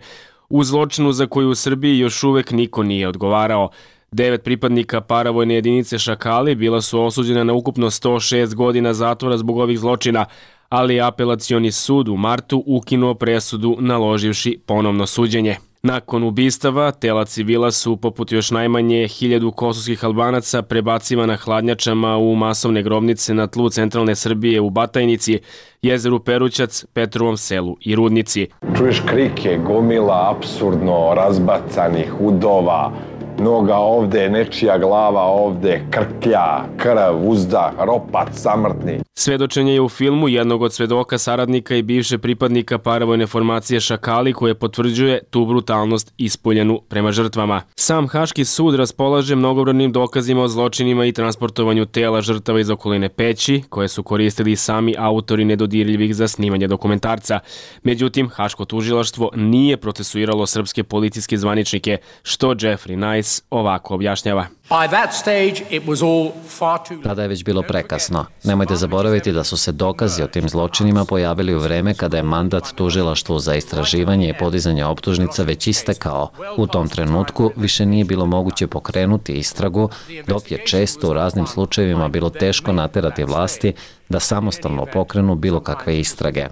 u zločinu za koju u Srbiji još uvek niko nije odgovarao. Devet pripadnika paravojne jedinice Šakali bila su osuđena na ukupno sto šest godina zatvora zbog ovih zločina, ali apelacioni sud u martu ukinuo presudu naloživši ponovno suđenje. Nakon ubistava, tela civila su, poput još najmanje hiljadu kosovskih Albanaca, prebacivana hladnjačama u masovne grobnice na tlu centralne Srbije u Batajnici, jezeru Perućac, Petrovom selu i Rudnici. Čuješ krike, gomila apsurdno razbacanih udova, noga ovde, nečija glava ovde, krklja, krv, uzdah, ropac, samrtni. Svedočenje je u filmu jednog od svedoka saradnika i bivše pripadnika paravojne formacije Šakali, koje potvrđuje tu brutalnost ispoljenu prema žrtvama. Sam Haški sud raspolaže mnogobrojnim dokazima o zločinima i transportovanju tela žrtava iz okoline Peći, koje su koristili sami autori nedodirljivih za snimanje dokumentarca. Međutim, Haško tužilaštvo nije procesuiralo srpske policijske zvaničnike, što Jeffrey Nice Vajc ovako objašnjava. Tada je već bilo prekasno. Nemojte zaboraviti da su se dokazi o tim zločinima pojavili u vreme kada je mandat tužilaštvu za istraživanje i podizanje optužnica već istekao. U tom trenutku više nije bilo moguće pokrenuti istragu, dok je često u raznim slučajevima bilo teško naterati vlasti da samostalno pokrenu bilo kakve istrage.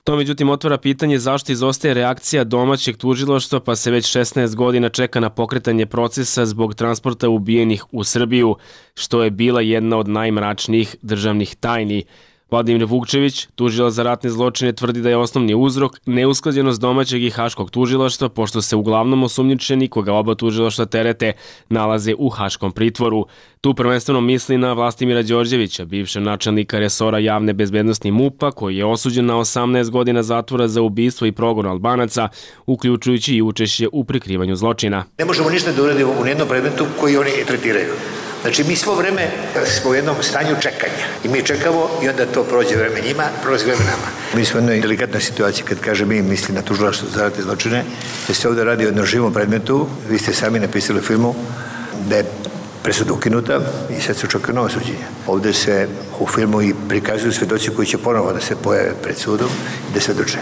To međutim otvara pitanje zašto izostaje reakcija domaćeg tužilaštva pa se već šesnaest godina čeka na pokretanje procesa zbog transporta ubijenih u Srbiju, što je bila jedna od najmračnijih državnih tajni. Vladimir Vukčević, tužilac za ratne zločine, tvrdi da je osnovni uzrok neusklađenost domaćeg i haškog tužilaštva, pošto se uglavnom osumnjičeni, koga oba tužilaštva terete, nalaze u haškom pritvoru. Tu prvenstveno misli na Vlastimira Đorđevića, bivšeg načelnika resora javne bezbednosti MUP-a, koji je osuđen na osamnaest godina zatvora za ubistvo i progon Albanaca, uključujući i učešće u prikrivanju zločina. Ne možemo ništa da uradimo u nijednom predmetu koji oni tretiraju. Znači, mi svo vreme smo u jednom stanju čekanja i mi čekamo i onda to prođe vreme njima, prođe vreme nama. Mi smo u jednoj delikatnoj situaciji, kad kaže mi, misli na tužilaštvo za ratne zločine, da se ovdje radi o jednom živom predmetu, vi ste sami napisali u filmu da je presuda ukinuta i sad se očekuje novo suđenje. Ovdje se u filmu i prikazuju svedoci koji će ponovo da se pojave pred sudom i da svedoče.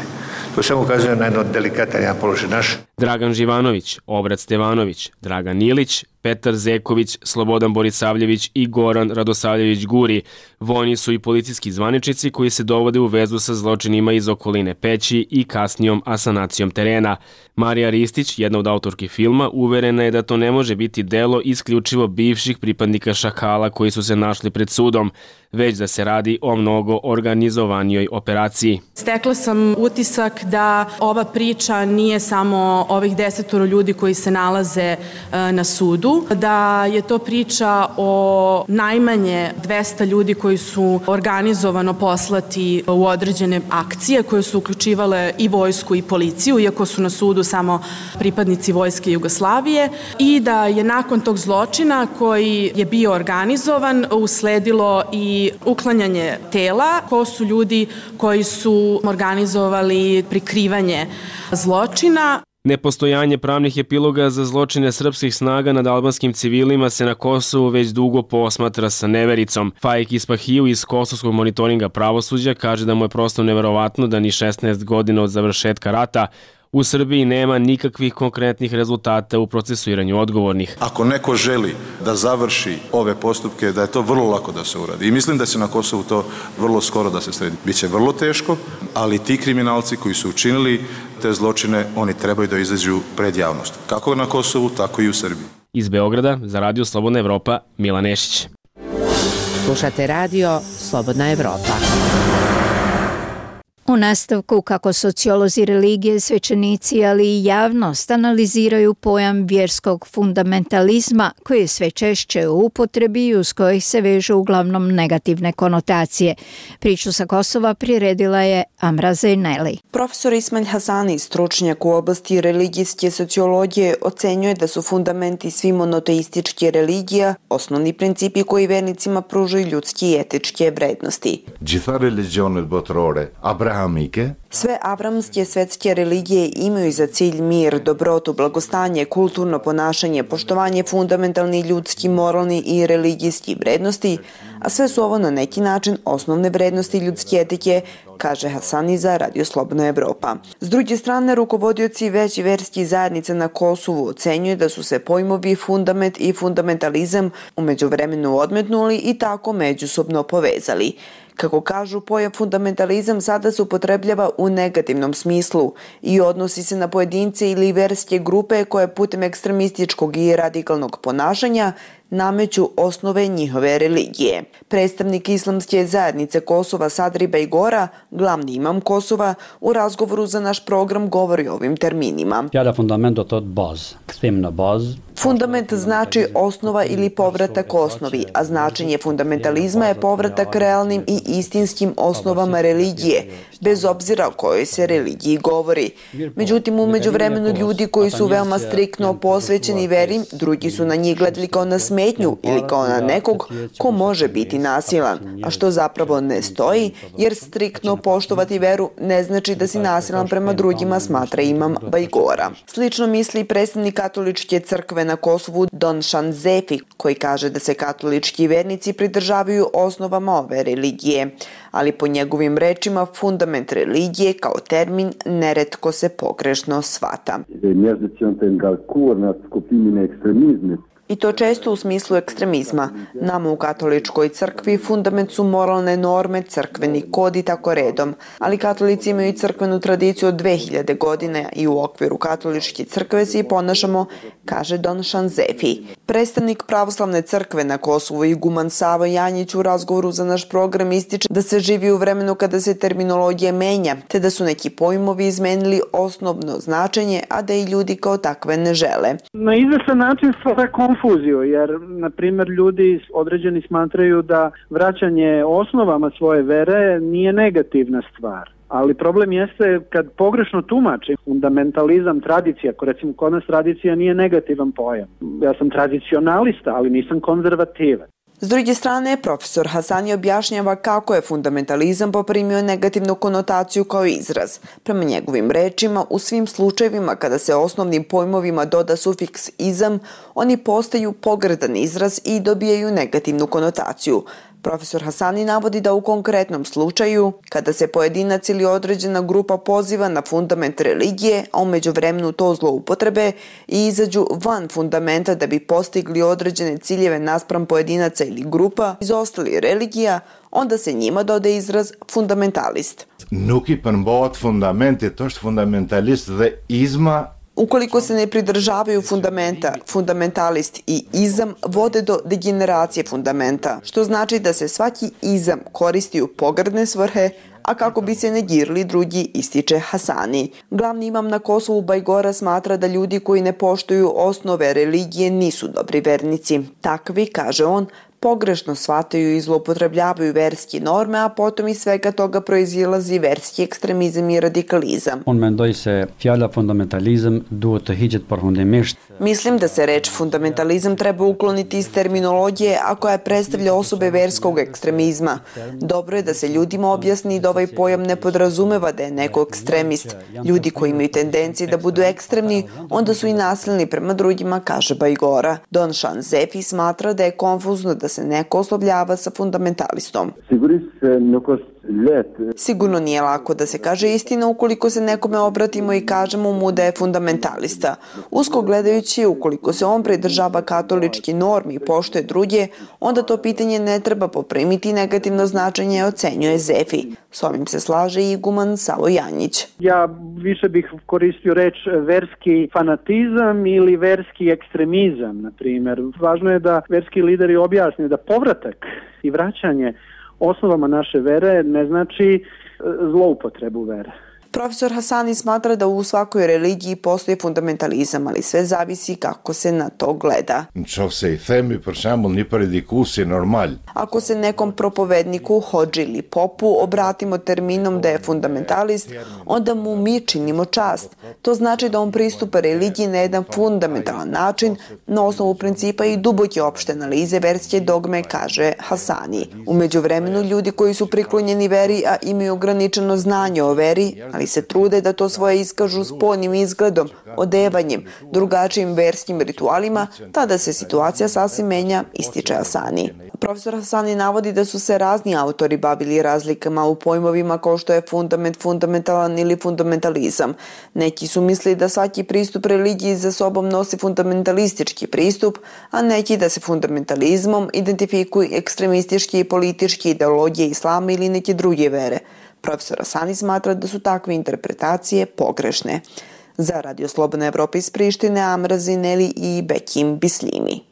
To samo ukazuje na jedno delikatan jedan položaj naš. Dragan Živanović, Obrat Stevanović, Dragan Ilić, Petar Zeković, Slobodan Borisavljević i Goran Radosavljević Guri. Vojni su i policijski zvaničnici koji se dovode u vezu sa zločinima iz okoline Peći i kasnijom asanacijom terena. Marija Ristić, jedna od autorki filma, uverena je da to ne može biti delo isključivo bivših pripadnika Šakala koji su se našli pred sudom, već da se radi o mnogo organizovanijoj operaciji. Stekla sam utisak da ova priča nije samo ovih desetoro ljudi koji se nalaze na sudu, da je to priča o najmanje dvesta ljudi koji su organizovano poslati u određene akcije koje su uključivale i vojsku i policiju, iako su na sudu samo pripadnici vojske Jugoslavije, i da je nakon tog zločina koji je bio organizovan usledilo i uklanjanje tela. Ko su ljudi koji su organizovali prikrivanje zločina? Nepostojanje pravnih epiloga za zločine srpskih snaga nad albanskim civilima se na Kosovu već dugo posmatra sa nevericom. Faik Ispahiju iz Kosovskog monitoringa pravosuđa kaže da mu je prosto neverovatno da ni šesnaest godina od završetka rata u Srbiji nema nikakvih konkretnih rezultata u procesuiranju odgovornih. Ako neko želi da završi ove postupke, da je to vrlo lako da se uradi. I mislim da će na Kosovu to vrlo skoro da se sredi. Biće vrlo teško, ali ti kriminalci koji su učinili te zločine, oni trebaju da izađu pred javnost. Kako na Kosovu, tako i u Srbiji. Iz Beograda za Radio Slobodna Evropa, Milan Nešić. Slušate radio Slobodna Evropa. U nastavku kako sociolozi religije, svećenici, ali i javnost analiziraju pojam vjerskog fundamentalizma koji je sve češće u upotrebi i uz kojih se vežu uglavnom negativne konotacije. Priču sa Kosova priredila je Amra Zejneli. Profesor Ismail Hasani, stručnjak u oblasti religijske sociologije, ocenjuje da su fundamenti svih monoteističke religija osnovni principi koji vernicima pružaju ljudske i etičke vrednosti. Sve avramske svetske religije imaju za cilj mir, dobrotu, blagostanje, kulturno ponašanje, poštovanje fundamentalnih ljudskih, moralnih i religijskih vrednosti, a sve su ovo na neki način osnovne vrednosti ljudske etike, kaže Hasani za Radio Slobodna Evropa. S druge strane, rukovodioci veći verskih zajednica na Kosovu ocenjuju da su se pojmovi fundament i fundamentalizam u međuvremenu odmetnuli i tako međusobno povezali. Kako kažu, pojam fundamentalizam sada se upotrebljava u negativnom smislu i odnosi se na pojedince ili verske grupe koje putem ekstremističkog i radikalnog ponašanja nameću osnove njihove religije. Predstavnik islamske zajednice Kosova Sadri Bejgora, glavni imam Kosova, u razgovoru za naš program govori o ovim terminima. Fjala fundament do thot bazë, kthim në bazë. Fundament znači osnova ili povratak osnovi, a značenje fundamentalizma je povratak realnim i istinskim osnovama religije, bez obzira o kojoj se religiji govori. Međutim, u međuvremenu ljudi koji su veoma striktno posvećeni veri, drugi su na njih gledali kao na smetnju ili kao na nekog ko može biti nasilan, a što zapravo ne stoji, jer striktno poštovati veru ne znači da si nasilan prema drugima, smatra imam Bajgora. Slično misli i predstavnik katoličke crkve na Kosovu Don Shanzefi, koji kaže da se katolički vernici pridržavaju osnovama ove religije, ali po njegovim rečima fundament religije kao termin neretko se pogrešno shvata. I to često u smislu ekstremizma. Nama u katoličkoj crkvi fundament su moralne norme, crkveni kod i tako redom, ali katolici imaju crkvenu tradiciju od dve hiljade godine i u okviru katoličke crkve se i ponašamo, kaže Don Shanzefi. Predstavnik pravoslavne crkve na Kosovu iguman Savo Janjić u razgovoru za naš program ističe da se živi u vremenu kada se terminologija menja, te da su neki pojmovi izmenili osnovno značenje, a da i ljudi kao takve ne žele. Na izvestan način stvara konfuziju, jer, na primjer, ljudi određeni smatraju da vraćanje osnovama svoje vere nije negativna stvar. Ali problem jeste kad pogrešno tumači fundamentalizam, tradicija, ako recimo kod nas tradicija nije negativan pojam. Ja sam tradicionalista, ali nisam konzervativan. S druge strane, profesor Hasani objašnjava kako je fundamentalizam poprimio negativnu konotaciju kao izraz. Prema njegovim rečima, u svim slučajevima kada se osnovnim pojmovima doda sufiks izam, oni postaju pogrdan izraz i dobijaju negativnu konotaciju. Profesor Hasani navodi da u konkretnom slučaju, kada se pojedinac ili određena grupa poziva na fundament religije, a u međuvremenu to zloupotrebe i izađu van fundamenta da bi postigli određene ciljeve naspram pojedinaca ili grupa iz ostalih religija, onda se njima dodaje izraz fundamentalist. Nuk i përmbahet fundament je to što fundamentalist dhe izma. Ukoliko se ne pridržavaju fundamenta, fundamentalist i izam vode do degeneracije fundamenta, što znači da se svaki izam koristi u pogrdne svrhe, a kako bi se negirali drugi, ističe Hasani. Glavni imam na Kosovu Bajgora smatra da ljudi koji ne poštuju osnove religije nisu dobri vernici. Takvi, kaže on, pogrešno shvataju i zloupotrebljavaju verske norme, a potom iz svega toga proizilazi verski ekstremizam i radikalizam. Unë mendoj se fjala fundamentalizam duhet të hiqet përfundimisht. Mislim da se reč fundamentalizam treba ukloniti iz terminologije, a koja predstavlja osobe verskog ekstremizma. Dobro je da se ljudima objasni da ovaj pojam ne podrazumeva da je neko ekstremist. Ljudi koji imaju tendencije da budu ekstremni, onda su i nasilni prema drugima, kaže Bajgora. Don Shanzefi smatra da je konfuzno da se neko oslovljava sa fundamentalistom. Sigurno nije lako da se kaže istina ukoliko se nekome obratimo i kažemo mu da je fundamentalista. Usko gledajući, ukoliko se on pridržava katolički normi i poštuje druge, onda to pitanje ne treba poprimiti negativno značenje, ocenjuje Zefi. S ovim se slaže i iguman Savo Janjić. Ja više bih koristio reč verski fanatizam ili verski ekstremizam, na primjer. Važno je da verski lideri objasne da povratak i vraćanje osnovama naše vere ne znači zloupotrebu vere. Profesor Hasani smatra da u svakoj religiji postoji fundamentalizam, ali sve zavisi kako se na to gleda. Ako se nekom propovedniku, hodži ili popu obratimo terminom da je fundamentalist, onda mu mi činimo čast. To znači da on pristupa religiji na jedan fundamentalan način, na osnovu principa i duboke opšte analize verske dogme, kaže Hasani. U međuvremenu ljudi koji su priklonjeni veri, a imaju ograničeno znanje o veri, ali se trude da to svoje iskažu spoljnim izgledom, odevanjem, drugačijim verskim ritualima, tada se situacija sasvim menja, ističe Hasani. Profesor Hasani navodi da su se razni autori bavili razlikama u pojmovima kao što je fundament, fundamentalan ili fundamentalizam. Neki su mislili da svaki pristup religiji za sobom nosi fundamentalistički pristup, a neki da se fundamentalizmom identifikuju ekstremistički i politički ideologije islama ili neke druge vere. Profesor Hasani smatra da su takve interpretacije pogrešne. Za Radio Slobodna Evropa iz Prištine, Amra Zineli i Bekim Bislimi.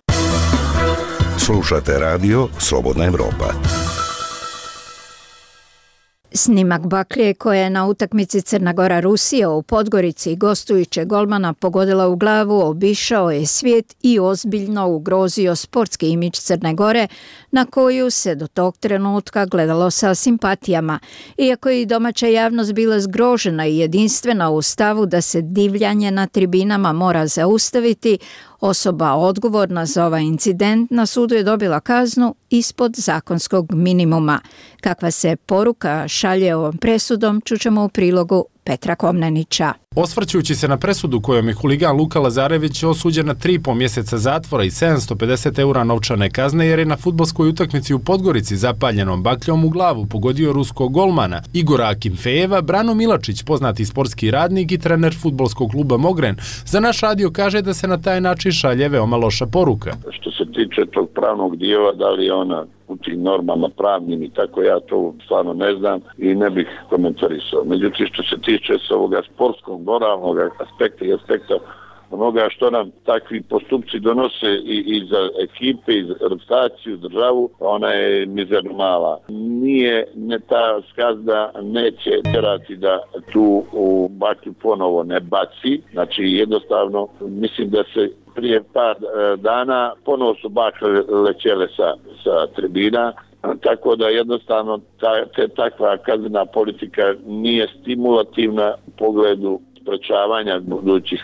Slušate Radio Slobodna Evropa. Snimak baklje koja je na utakmici Crna Gora-Rusija u Podgorici gostujuće golmana pogodila u glavu obišao je svijet i ozbiljno ugrozio sportski imidž Crne Gore na koju se do tog trenutka gledalo sa simpatijama. Iako je i domaća javnost bila zgrožena i jedinstvena u stavu da se divljanje na tribinama mora zaustaviti, osoba odgovorna za ovaj incident na sudu je dobila kaznu ispod zakonskog minimuma. Kakva se poruka šalje ovom presudom, čućemo u prilogu Petra Komnenića. Osvrćujući se na presudu kojom je huligan Luka Lazarević osuđen na tri i po mjeseca zatvora i sedamsto pedeset eura novčane kazne jer je na fudbalskoj utakmici u Podgorici zapaljenom bakljom u glavu pogodio ruskog golmana Igora Akimfejeva, Brano Milačić, poznati sportski radnik i trener fudbalskog kluba Mogren, za naš radio kaže da se na taj način šalje veoma loša poruka. Što se tiče tog pravnog dijela, da li je ona u tim normama pravnim i tako, ja to stvarno ne znam i ne bih komentarisao. Međutim, što se tiče s ovoga sportskog, moralnog aspekta i aspekta onoga što nam takvi postupci donose i, i za ekipe, i za reprezentaciju, državu, ona je mizerno mala. Nije, ne ta skazda neće tjerati da tu u baklju ponovo ne baci, znači jednostavno mislim da se prije par dana ponovo su bakle lećele sa, sa tribina, tako da jednostavno ta, te, takva kaznena politika nije stimulativna u pogledu sprečavanja budućih,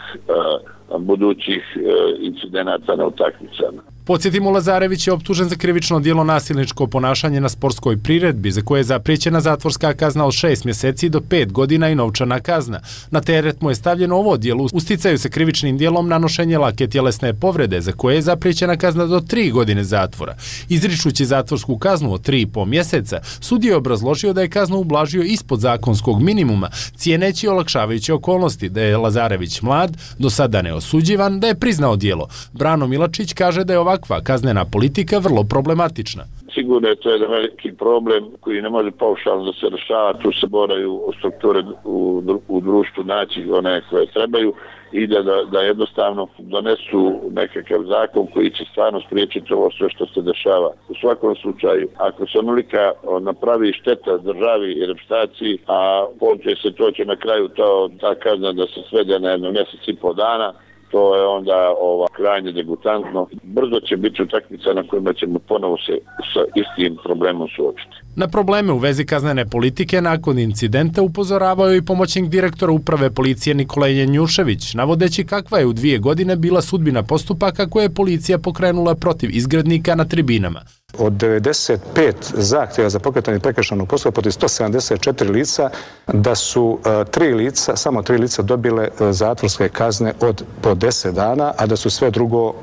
uh, budućih uh, incidenata na utakmicama. Podsjetimo, Lazarević je optužen za krivično djelo nasilničko ponašanje na sportskoj priredbi, za koje je zapriječena zatvorska kazna od šest mjeseci do pet godina i novčana kazna. Na teret mu je stavljeno ovo djelo. Usticaju se krivičnim djelom nanošenje lake tjelesne povrede, za koje je zapriječena kazna do tri godine zatvora. Izričući zatvorsku kaznu od tri i po mjeseca, sudija je obrazložio da je kaznu ublažio ispod zakonskog minimuma, cijeneći olakšavajuće okolnosti, da je Lazarević mlad, do sada neosuđivan, da je priznao djelo. Brano Milačić kaže da je ovakva kaznena politika vrlo problematična. Sigurno je to jedan veliki problem koji ne može paušalno da se rešava, tu se moraju strukture u, u društvu naći one koje trebaju i da, da, da jednostavno donesu nekakav zakon koji će stvarno spriječiti ovo sve što se dešava. U svakom slučaju, ako se onolika napravi šteta državi i reprezentaciji, a pođe se to će na kraju to, ta kazna da se svede na jedno mjesec i po dana, to je onda ova, krajnje degutantno. Brzo će biti utakmica na kojima ćemo ponovo se sa istim problemom suočiti. Na probleme u vezi kaznene politike nakon incidenta upozoravao i pomoćnik direktora uprave policije Nikola Jenjušević, navodeći kakva je u dvije godine bila sudbina postupaka koje je policija pokrenula protiv izgrednika na tribinama. Od devedeset pet zahtjeva za pokretanje prekršajnog postupka protiv sto sedamdeset četiri lica, da su uh, tri lica, samo tri lica dobile uh, zatvorske kazne od po deset dana, a da su sve drugo uh,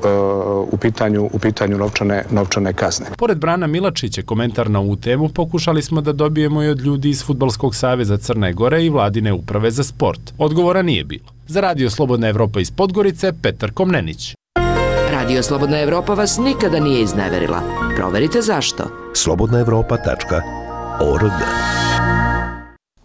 u pitanju, u pitanju novčane, novčane kazne. Pored Brana Milačića, komentar na ovu temu pokušali smo da dobijemo i od ljudi iz Fudbalskog saveza Crne Gore i Vladine uprave za sport. Odgovora nije bilo. Za Radio Slobodna Evropa iz Podgorice, Petar Komnenić. Radio Slobodna Evropa vas nikada nije izneverila. Proverite zašto. slobodna evropa tačka org.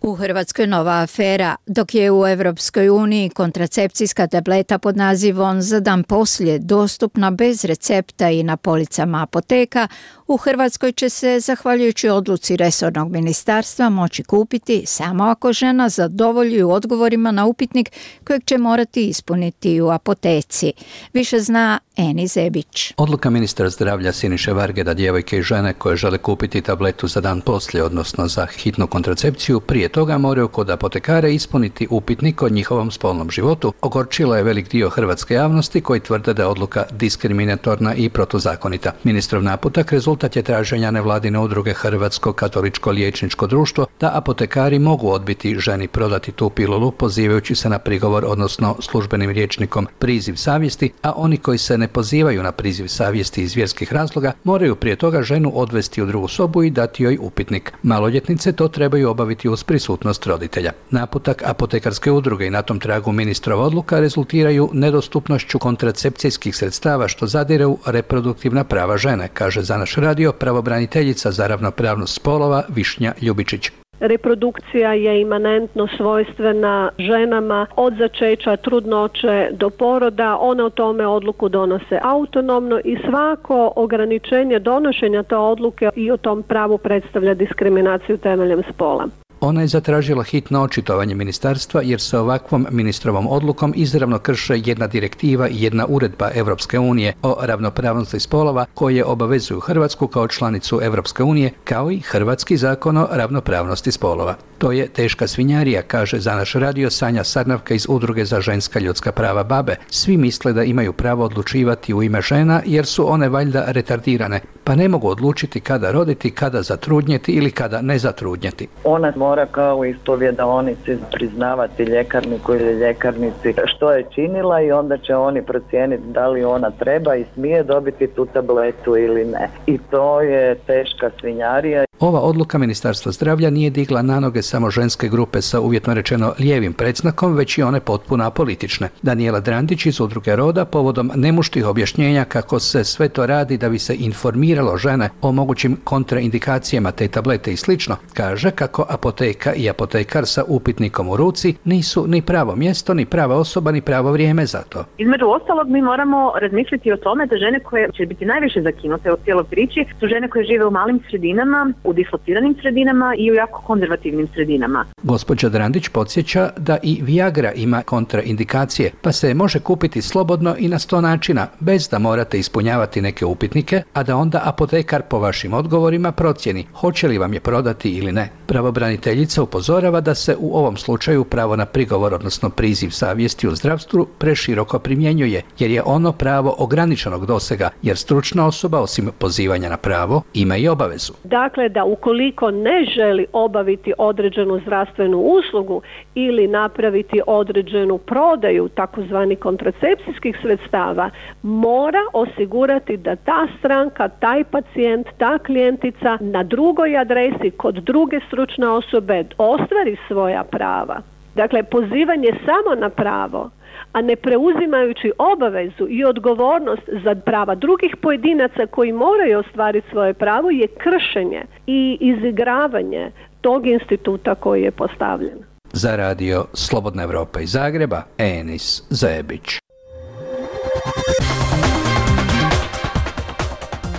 U Hrvatskoj nova afera, dok je u Evropskoj uniji kontracepcijska tableta pod nazivom Za dan poslije dostupna bez recepta i na policama apoteka, u Hrvatskoj će se, zahvaljujući odluci resornog ministarstva, moći kupiti samo ako žena zadovolji odgovorima na upitnik kojeg će morati ispuniti u apoteci. Više zna Eni Zebić. Odluka ministra zdravlja Siniše Varge da djevojke i žene koje žele kupiti tabletu za dan poslije, odnosno za hitnu kontracepciju, prije toga moraju kod apotekare ispuniti upitnik o njihovom spolnom životu, ogorčilo je velik dio hrvatske javnosti koji tvrde da je odluka diskriminatorna i protuzakonita. Ministrov naputak rezultat je traženja nevladine udruge Hrvatsko katoličko liječničko društvo da apotekari mogu odbiti ženi prodati tu pilulu pozivajući se na prigovor, odnosno službenim rječnikom priziv savjesti, a oni koji se ne pozivaju na priziv savjesti iz vjerskih razloga moraju prije toga ženu odvesti u drugu sobu i dati joj upitnik. Maloljetnice to trebaju obaviti uz prisutnost roditelja. Naputak apotekarske udruge i na tom tragu ministrova odluka rezultiraju nedostupnošću kontracepcijskih sredstava što zadire u reproduktivna prava žene, kaže za naš radio pravobraniteljica za ravnopravnost spolova Višnja Ljubičić. Reprodukcija je imanentno svojstvena ženama od začeća, trudnoće do poroda. One o tome odluku donose autonomno i svako ograničenje donošenja te odluke i o tom pravu predstavlja diskriminaciju temeljem spola. Ona je zatražila hitno očitovanje ministarstva jer se ovakvom ministrovom odlukom izravno krše jedna direktiva i jedna uredba Evropske unije o ravnopravnosti spolova koje obavezuju Hrvatsku kao članicu Evropske unije, kao i Hrvatski zakon o ravnopravnosti spolova. To je teška svinjarija, kaže za naš radio Sanja Sarnavka iz Udruge za ženska ljudska prava BaBe. Svi misle da imaju pravo odlučivati u ime žena jer su one valjda retardirane, pa ne mogu odlučiti kada roditi, kada zatrudnjeti ili kada ne zatrudnjeti. Ona mora kao ispovjedaonici priznavati ljekarniku ili ljekarnici što je činila i onda će oni procijeniti da li ona treba i smije dobiti tu tabletu ili ne. I to je teška svinjarija. Ova odluka Ministarstva zdravlja nije digla na noge samo ženske grupe sa uvjetno rečeno lijevim predznakom, već i one potpuno apolitične. Daniela Drandić iz Udruge Roda povodom nemuštih objašnjenja kako se sve to radi da bi se informiralo žene o mogućim kontraindikacijama te tablete i slično, kaže kako apoteka i apotekar sa upitnikom u ruci nisu ni pravo mjesto, ni prava osoba, ni pravo vrijeme za to. Između ostalog mi moramo razmisliti o tome da žene koje će biti najviše zakinute u cijeloj priči su žene koje žive u malim sredinama, u dislociranim sredinama i u jako konzervativnim sredinama. Gospođa Drandić podsjeća da i Viagra ima kontraindikacije, pa se može kupiti slobodno i na sto načina, bez da morate ispunjavati neke upitnike, a da onda apotekar po vašim odgovorima procjeni hoće li vam je prodati ili ne. Pravobraniteljica upozorava da se u ovom slučaju pravo na prigovor, odnosno priziv savjesti u zdravstvu, preširoko primjenjuje, jer je ono pravo ograničenog dosega, jer stručna osoba, osim pozivanja na pravo, ima i obavezu. Dakle, da ukoliko ne želi obaviti određenu zdravstvenu uslugu ili napraviti određenu prodaju takozvani kontracepcijskih sredstava, mora osigurati da ta stranka, taj pacijent, ta klijentica na drugoj adresi kod druge stručne osobe ostvari svoja prava. Dakle, pozivanje samo na pravo, a ne preuzimajući obavezu i odgovornost za prava drugih pojedinaca koji moraju ostvariti svoje pravo, je kršenje i izigravanje tog instituta koji je postavljen. Za radio Slobodna Evropa iz Zagreba, Enis Zebić.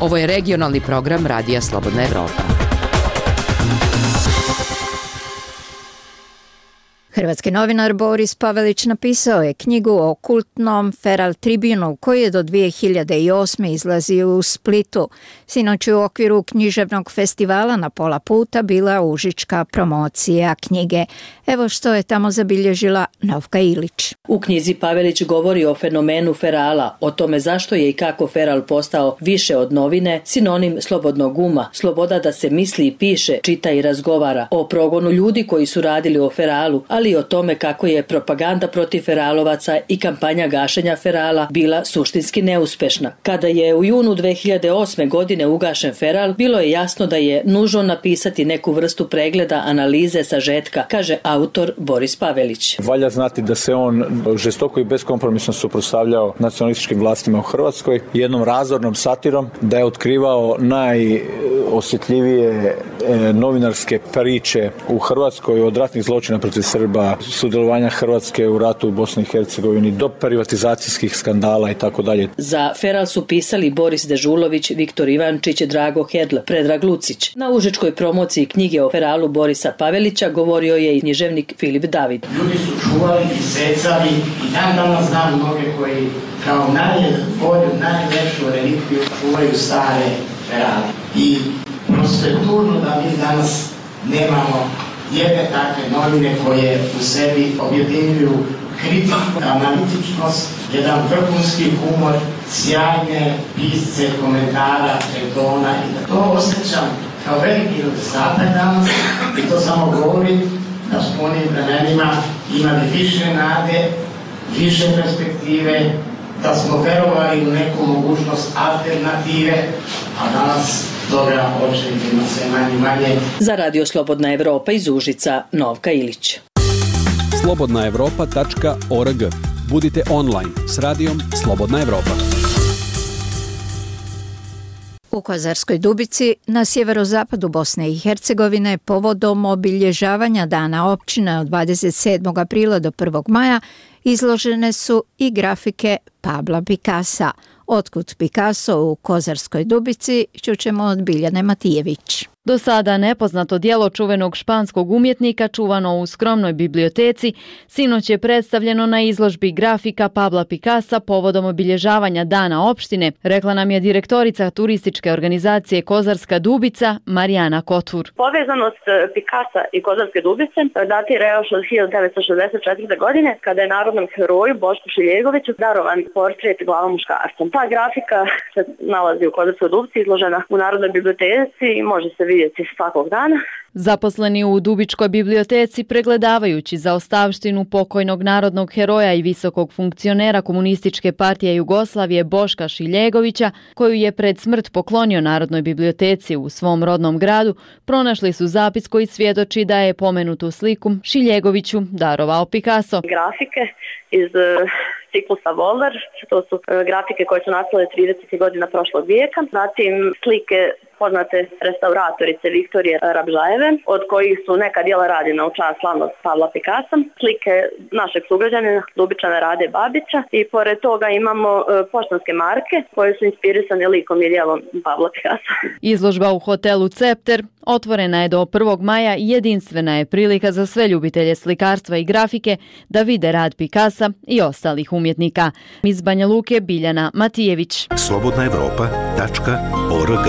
Ovo je regionalni program Radija Slobodna Evropa. Hrvatski novinar Boris Pavelić napisao je knjigu o kultnom Feral Tribunu koji je do dvije hiljade osme izlazio u Splitu. Sinoć u okviru književnog festivala na pola puta bila užička promocija knjige. Evo što je tamo zabilježila Novka Ilić. U knjizi Pavelić govori o fenomenu ferala, o tome zašto je i kako feral postao više od novine, sinonim slobodnog uma, sloboda da se misli i piše, čita i razgovara, o progonu ljudi koji su radili o feralu, ali i o tome kako je propaganda protiv feralovaca i kampanja gašenja ferala bila suštinski neuspešna. Kada je u junu dvije hiljade osme. godine ugašen feral, bilo je jasno da je nužno napisati neku vrstu pregleda, analize, sažetka, kaže autor Boris Pavelić. Valja znati da se on žestoko i beskompromisno suprotstavljao nacionalističkim vlastima u Hrvatskoj, jednom razornom satirom, da je otkrivao najosjetljivije novinarske priče u Hrvatskoj od ratnih zločina protiv Srba, sudjelovanja Hrvatske u ratu u Bosni i Hercegovini, do privatizacijskih skandala i tako dalje. Za feral su pisali Boris Dežulović, Viktor Ivančić, Drago Hedl, Predrag Lucić. Na užičkoj promociji knjige o feralu Borisa Pavelića govorio je i književnik Filip David. Ljudi su čuvali i secali i dan danas znam mnoge koji kao najbolju, najlepšu relikviju čuvaju stare ferale. I prosto je tužno da mi danas nemamo jedne takve novine koje u sebi objedinjuju kritiku, analitičnost, jedan vrhunski humor, sjajne pisce, komentara, retona i da to osjećam kao veliki nedostatak danas i to samo govori da s onim vremenima imali više nade, više perspektive, da smo verovali u neku mogućnost alternative, a danas toga očekivamo sve manje manje. Za Radio Slobodna Evropa iz Užica, Novka Ilić. slobodna evropa tačka org. Budite online s radijom Slobodna Evropa. U Kozarskoj Dubici na sjeverozapadu Bosne i Hercegovine povodom obilježavanja Dana općine od dvadeset sedmog aprila do prvog maja izložene su i grafike Pabla Picassa. Otkud Picasso u Kozarskoj Dubici čućemo od Biljane Matijević. Do sada nepoznato djelo čuvenog španskog umjetnika čuvano u skromnoj biblioteci sinoć je predstavljeno na izložbi grafika Pabla Picassa povodom obilježavanja Dana opštine, rekla nam je direktorica turističke organizacije Kozarska Dubica Marijana Kotvur. Povezanost Picassa i Kozarske Dubice datira još od hiljadu devetsto šezdeset četvrte. godine kada je narodnom heroju Bošku Šiljegoviću darovan portret glava muškarca. Ta grafika se nalazi u Kozarskoj Dubici, izložena u Narodnoj biblioteci i može se vidjeti svakog dana. Zaposleni u Dubičkoj biblioteci, pregledavajući zaostavštinu pokojnog narodnog heroja i visokog funkcionera Komunističke partije Jugoslavije Boška Šiljegovića, koju je pred smrt poklonio Narodnoj biblioteci u svom rodnom gradu, pronašli su zapis koji svjedoči da je pomenutu sliku Šiljegoviću darovao Picasso. Grafike iz ciklusa Volder, to su grafike koje su nastale tridesetih godina prošlog vijeka, zatim slike poznate restauratorice Viktorije Rabžajeve, od kojih su neka djela rađena u čast slavnog Pavla Picassa, slike našeg sugrađanina Dubičana Rade Babića i pored toga imamo e, poštanske marke koje su inspirisane likom i djelom Pavla Picassa. Izložba u hotelu Cepter otvorena je do prvog maja i jedinstvena je prilika za sve ljubitelje slikarstva i grafike da vide rad Picassa i ostalih umjetnika. Iz Banja Luke Biljana Matijević. slobodna evropa tačka org.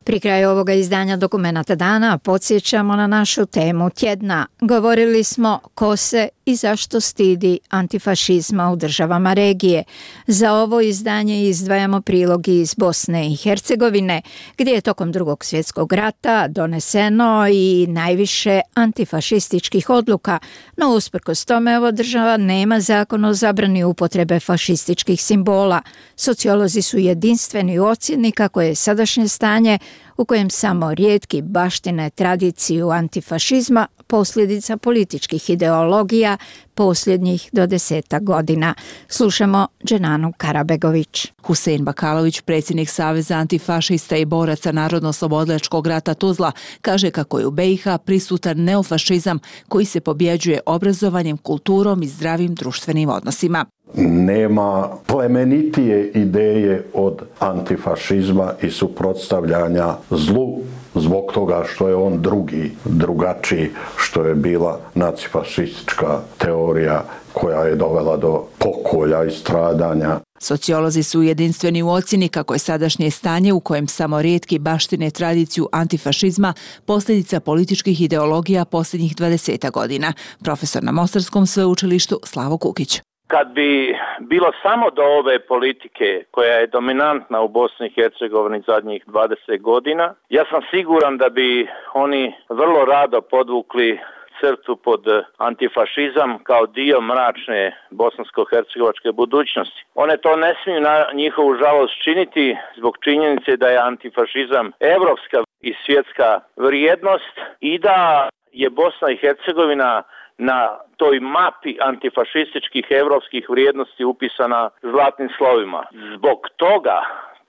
Pri kraju ovoga izdanja Dokumenata dana podsjećamo na našu temu tjedna. Govorili smo ko se i zašto stidi antifašizma u državama regije. Za ovo izdanje izdvajamo prilog iz Bosne i Hercegovine, gdje je tokom Drugog svjetskog rata doneseno i najviše antifašističkih odluka, no usprkos tome ova država nema zakon o zabrani upotrebe fašističkih simbola. Sociolozi su jedinstveni u ocjeni kako je sadašnje stanje u kojem samo rijetki baštine tradiciju antifašizma posljedica političkih ideologija posljednjih do deseta godina. Slušamo Dženanu Karabegović. Husein Bakalović, predsjednik Saveza antifašista i boraca Narodno-oslobodilačkog rata Tuzla, kaže kako je u be i ha prisutan neofašizam koji se pobjeđuje obrazovanjem, kulturom i zdravim društvenim odnosima. Nema plemenitije ideje od antifašizma i suprotstavljanja zlu zbog toga što je on drugi, drugačiji, što je bila nacifašistička teorija koja je dovela do pokolja i stradanja. Sociolozi su jedinstveni u ocjeni kako je sadašnje stanje u kojem samo rijetki baštine tradiciju antifašizma posljedica političkih ideologija posljednjih dvadeset godina. Profesor na Mostarskom sveučilištu Slavo Kukić. Kad bi bilo samo do ove politike koja je dominantna u Bosni i Hercegovini zadnjih dvadeset godina, ja sam siguran da bi oni vrlo rado podvukli crtu pod antifašizam kao dio mračne bosansko-hercegovačke budućnosti. One to ne smiju na njihovu žalost činiti zbog činjenice da je antifašizam evropska i svjetska vrijednost i da je Bosna i Hercegovina na toj mapi antifašističkih evropskih vrijednosti upisana zlatnim slovima. Zbog toga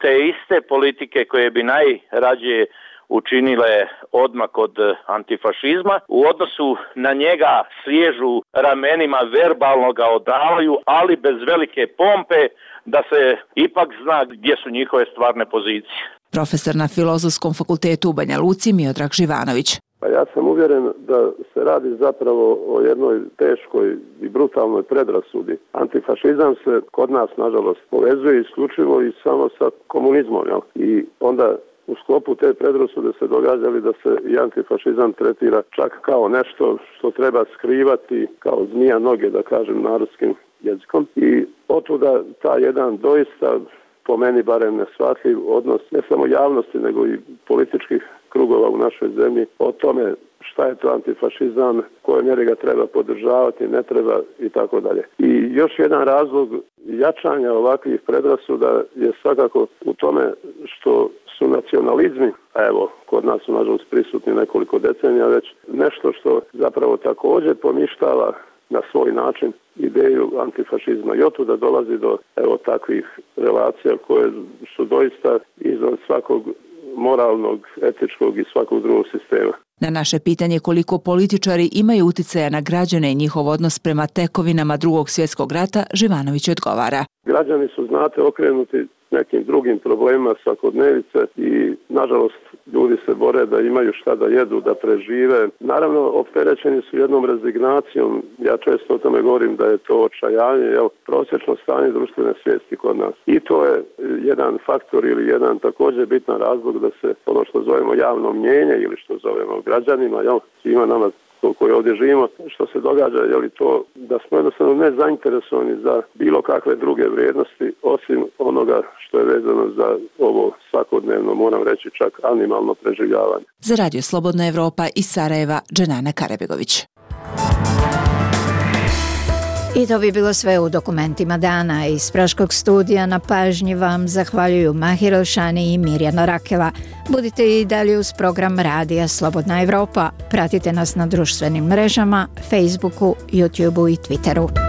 te iste politike koje bi najrađe učinile odmak od antifašizma, u odnosu na njega sliježu ramenima, verbalno ga odavaju, ali bez velike pompe, da se ipak zna gdje su njihove stvarne pozicije. Profesor na Filozofskom fakultetu u Banja Luci Miodrag Živanović. Pa ja sam uvjeren da se radi zapravo o jednoj teškoj i brutalnoj predrasudi. Antifašizam se kod nas, nažalost, povezuje isključivo i samo sa komunizmom. Jel? I onda u sklopu te predrasude se događali da se i antifašizam tretira čak kao nešto što treba skrivati, kao zmija noge, da kažem narodskim jezikom. I otuda ta jedan doista, po meni barem neshvatljiv odnos ne samo javnosti nego i političkih krugova u našoj zemlji o tome šta je to antifašizam, koje mjere ga treba podržavati, ne treba i tako dalje. I još jedan razlog jačanja ovakvih predrasuda je svakako u tome što su nacionalizmi, a evo, kod nas su nažalost prisutni nekoliko decenija već, nešto što zapravo također poništava na svoj način ideju antifašizma. I otuda dolazi do evo takvih relacija koje su doista izvan svakog moralnog, etičkog i svakog drugog sistema. Na naše pitanje koliko političari imaju uticaja na građane i njihov odnos prema tekovinama Drugog svjetskog rata, Živanović odgovara. Građani su, znate, okrenuti nekim drugim problemima svakodnevice i nažalost ljudi se bore da imaju šta da jedu, da prežive. Naravno, opterećeni su jednom rezignacijom. Ja često o tome govorim da je to očajanje, jel, prosječno stanje društvene svijesti kod nas. I to je jedan faktor ili jedan također bitan razlog da se ono što zovemo javno mnjenje ili što zovemo građanima, jel, svima nama koji ovdje živimo, što se događa, je li to da smo jednostavno ne zainteresovani za bilo kakve druge vrijednosti osim onoga što je vezano za ovo svakodnevno, moram reći čak animalno preživljavanje. Za Radio Slobodna Evropa iz Sarajeva, Dženana Karabegović. I to bi bilo sve u dokumentima dana. Iz Praškog studija na pažnji vam zahvaljuju Mahir Elšani i Mirjana Rakela. Budite i dalje uz program Radija Slobodna Evropa. Pratite nas na društvenim mrežama, Facebooku, YouTubeu i Twitteru.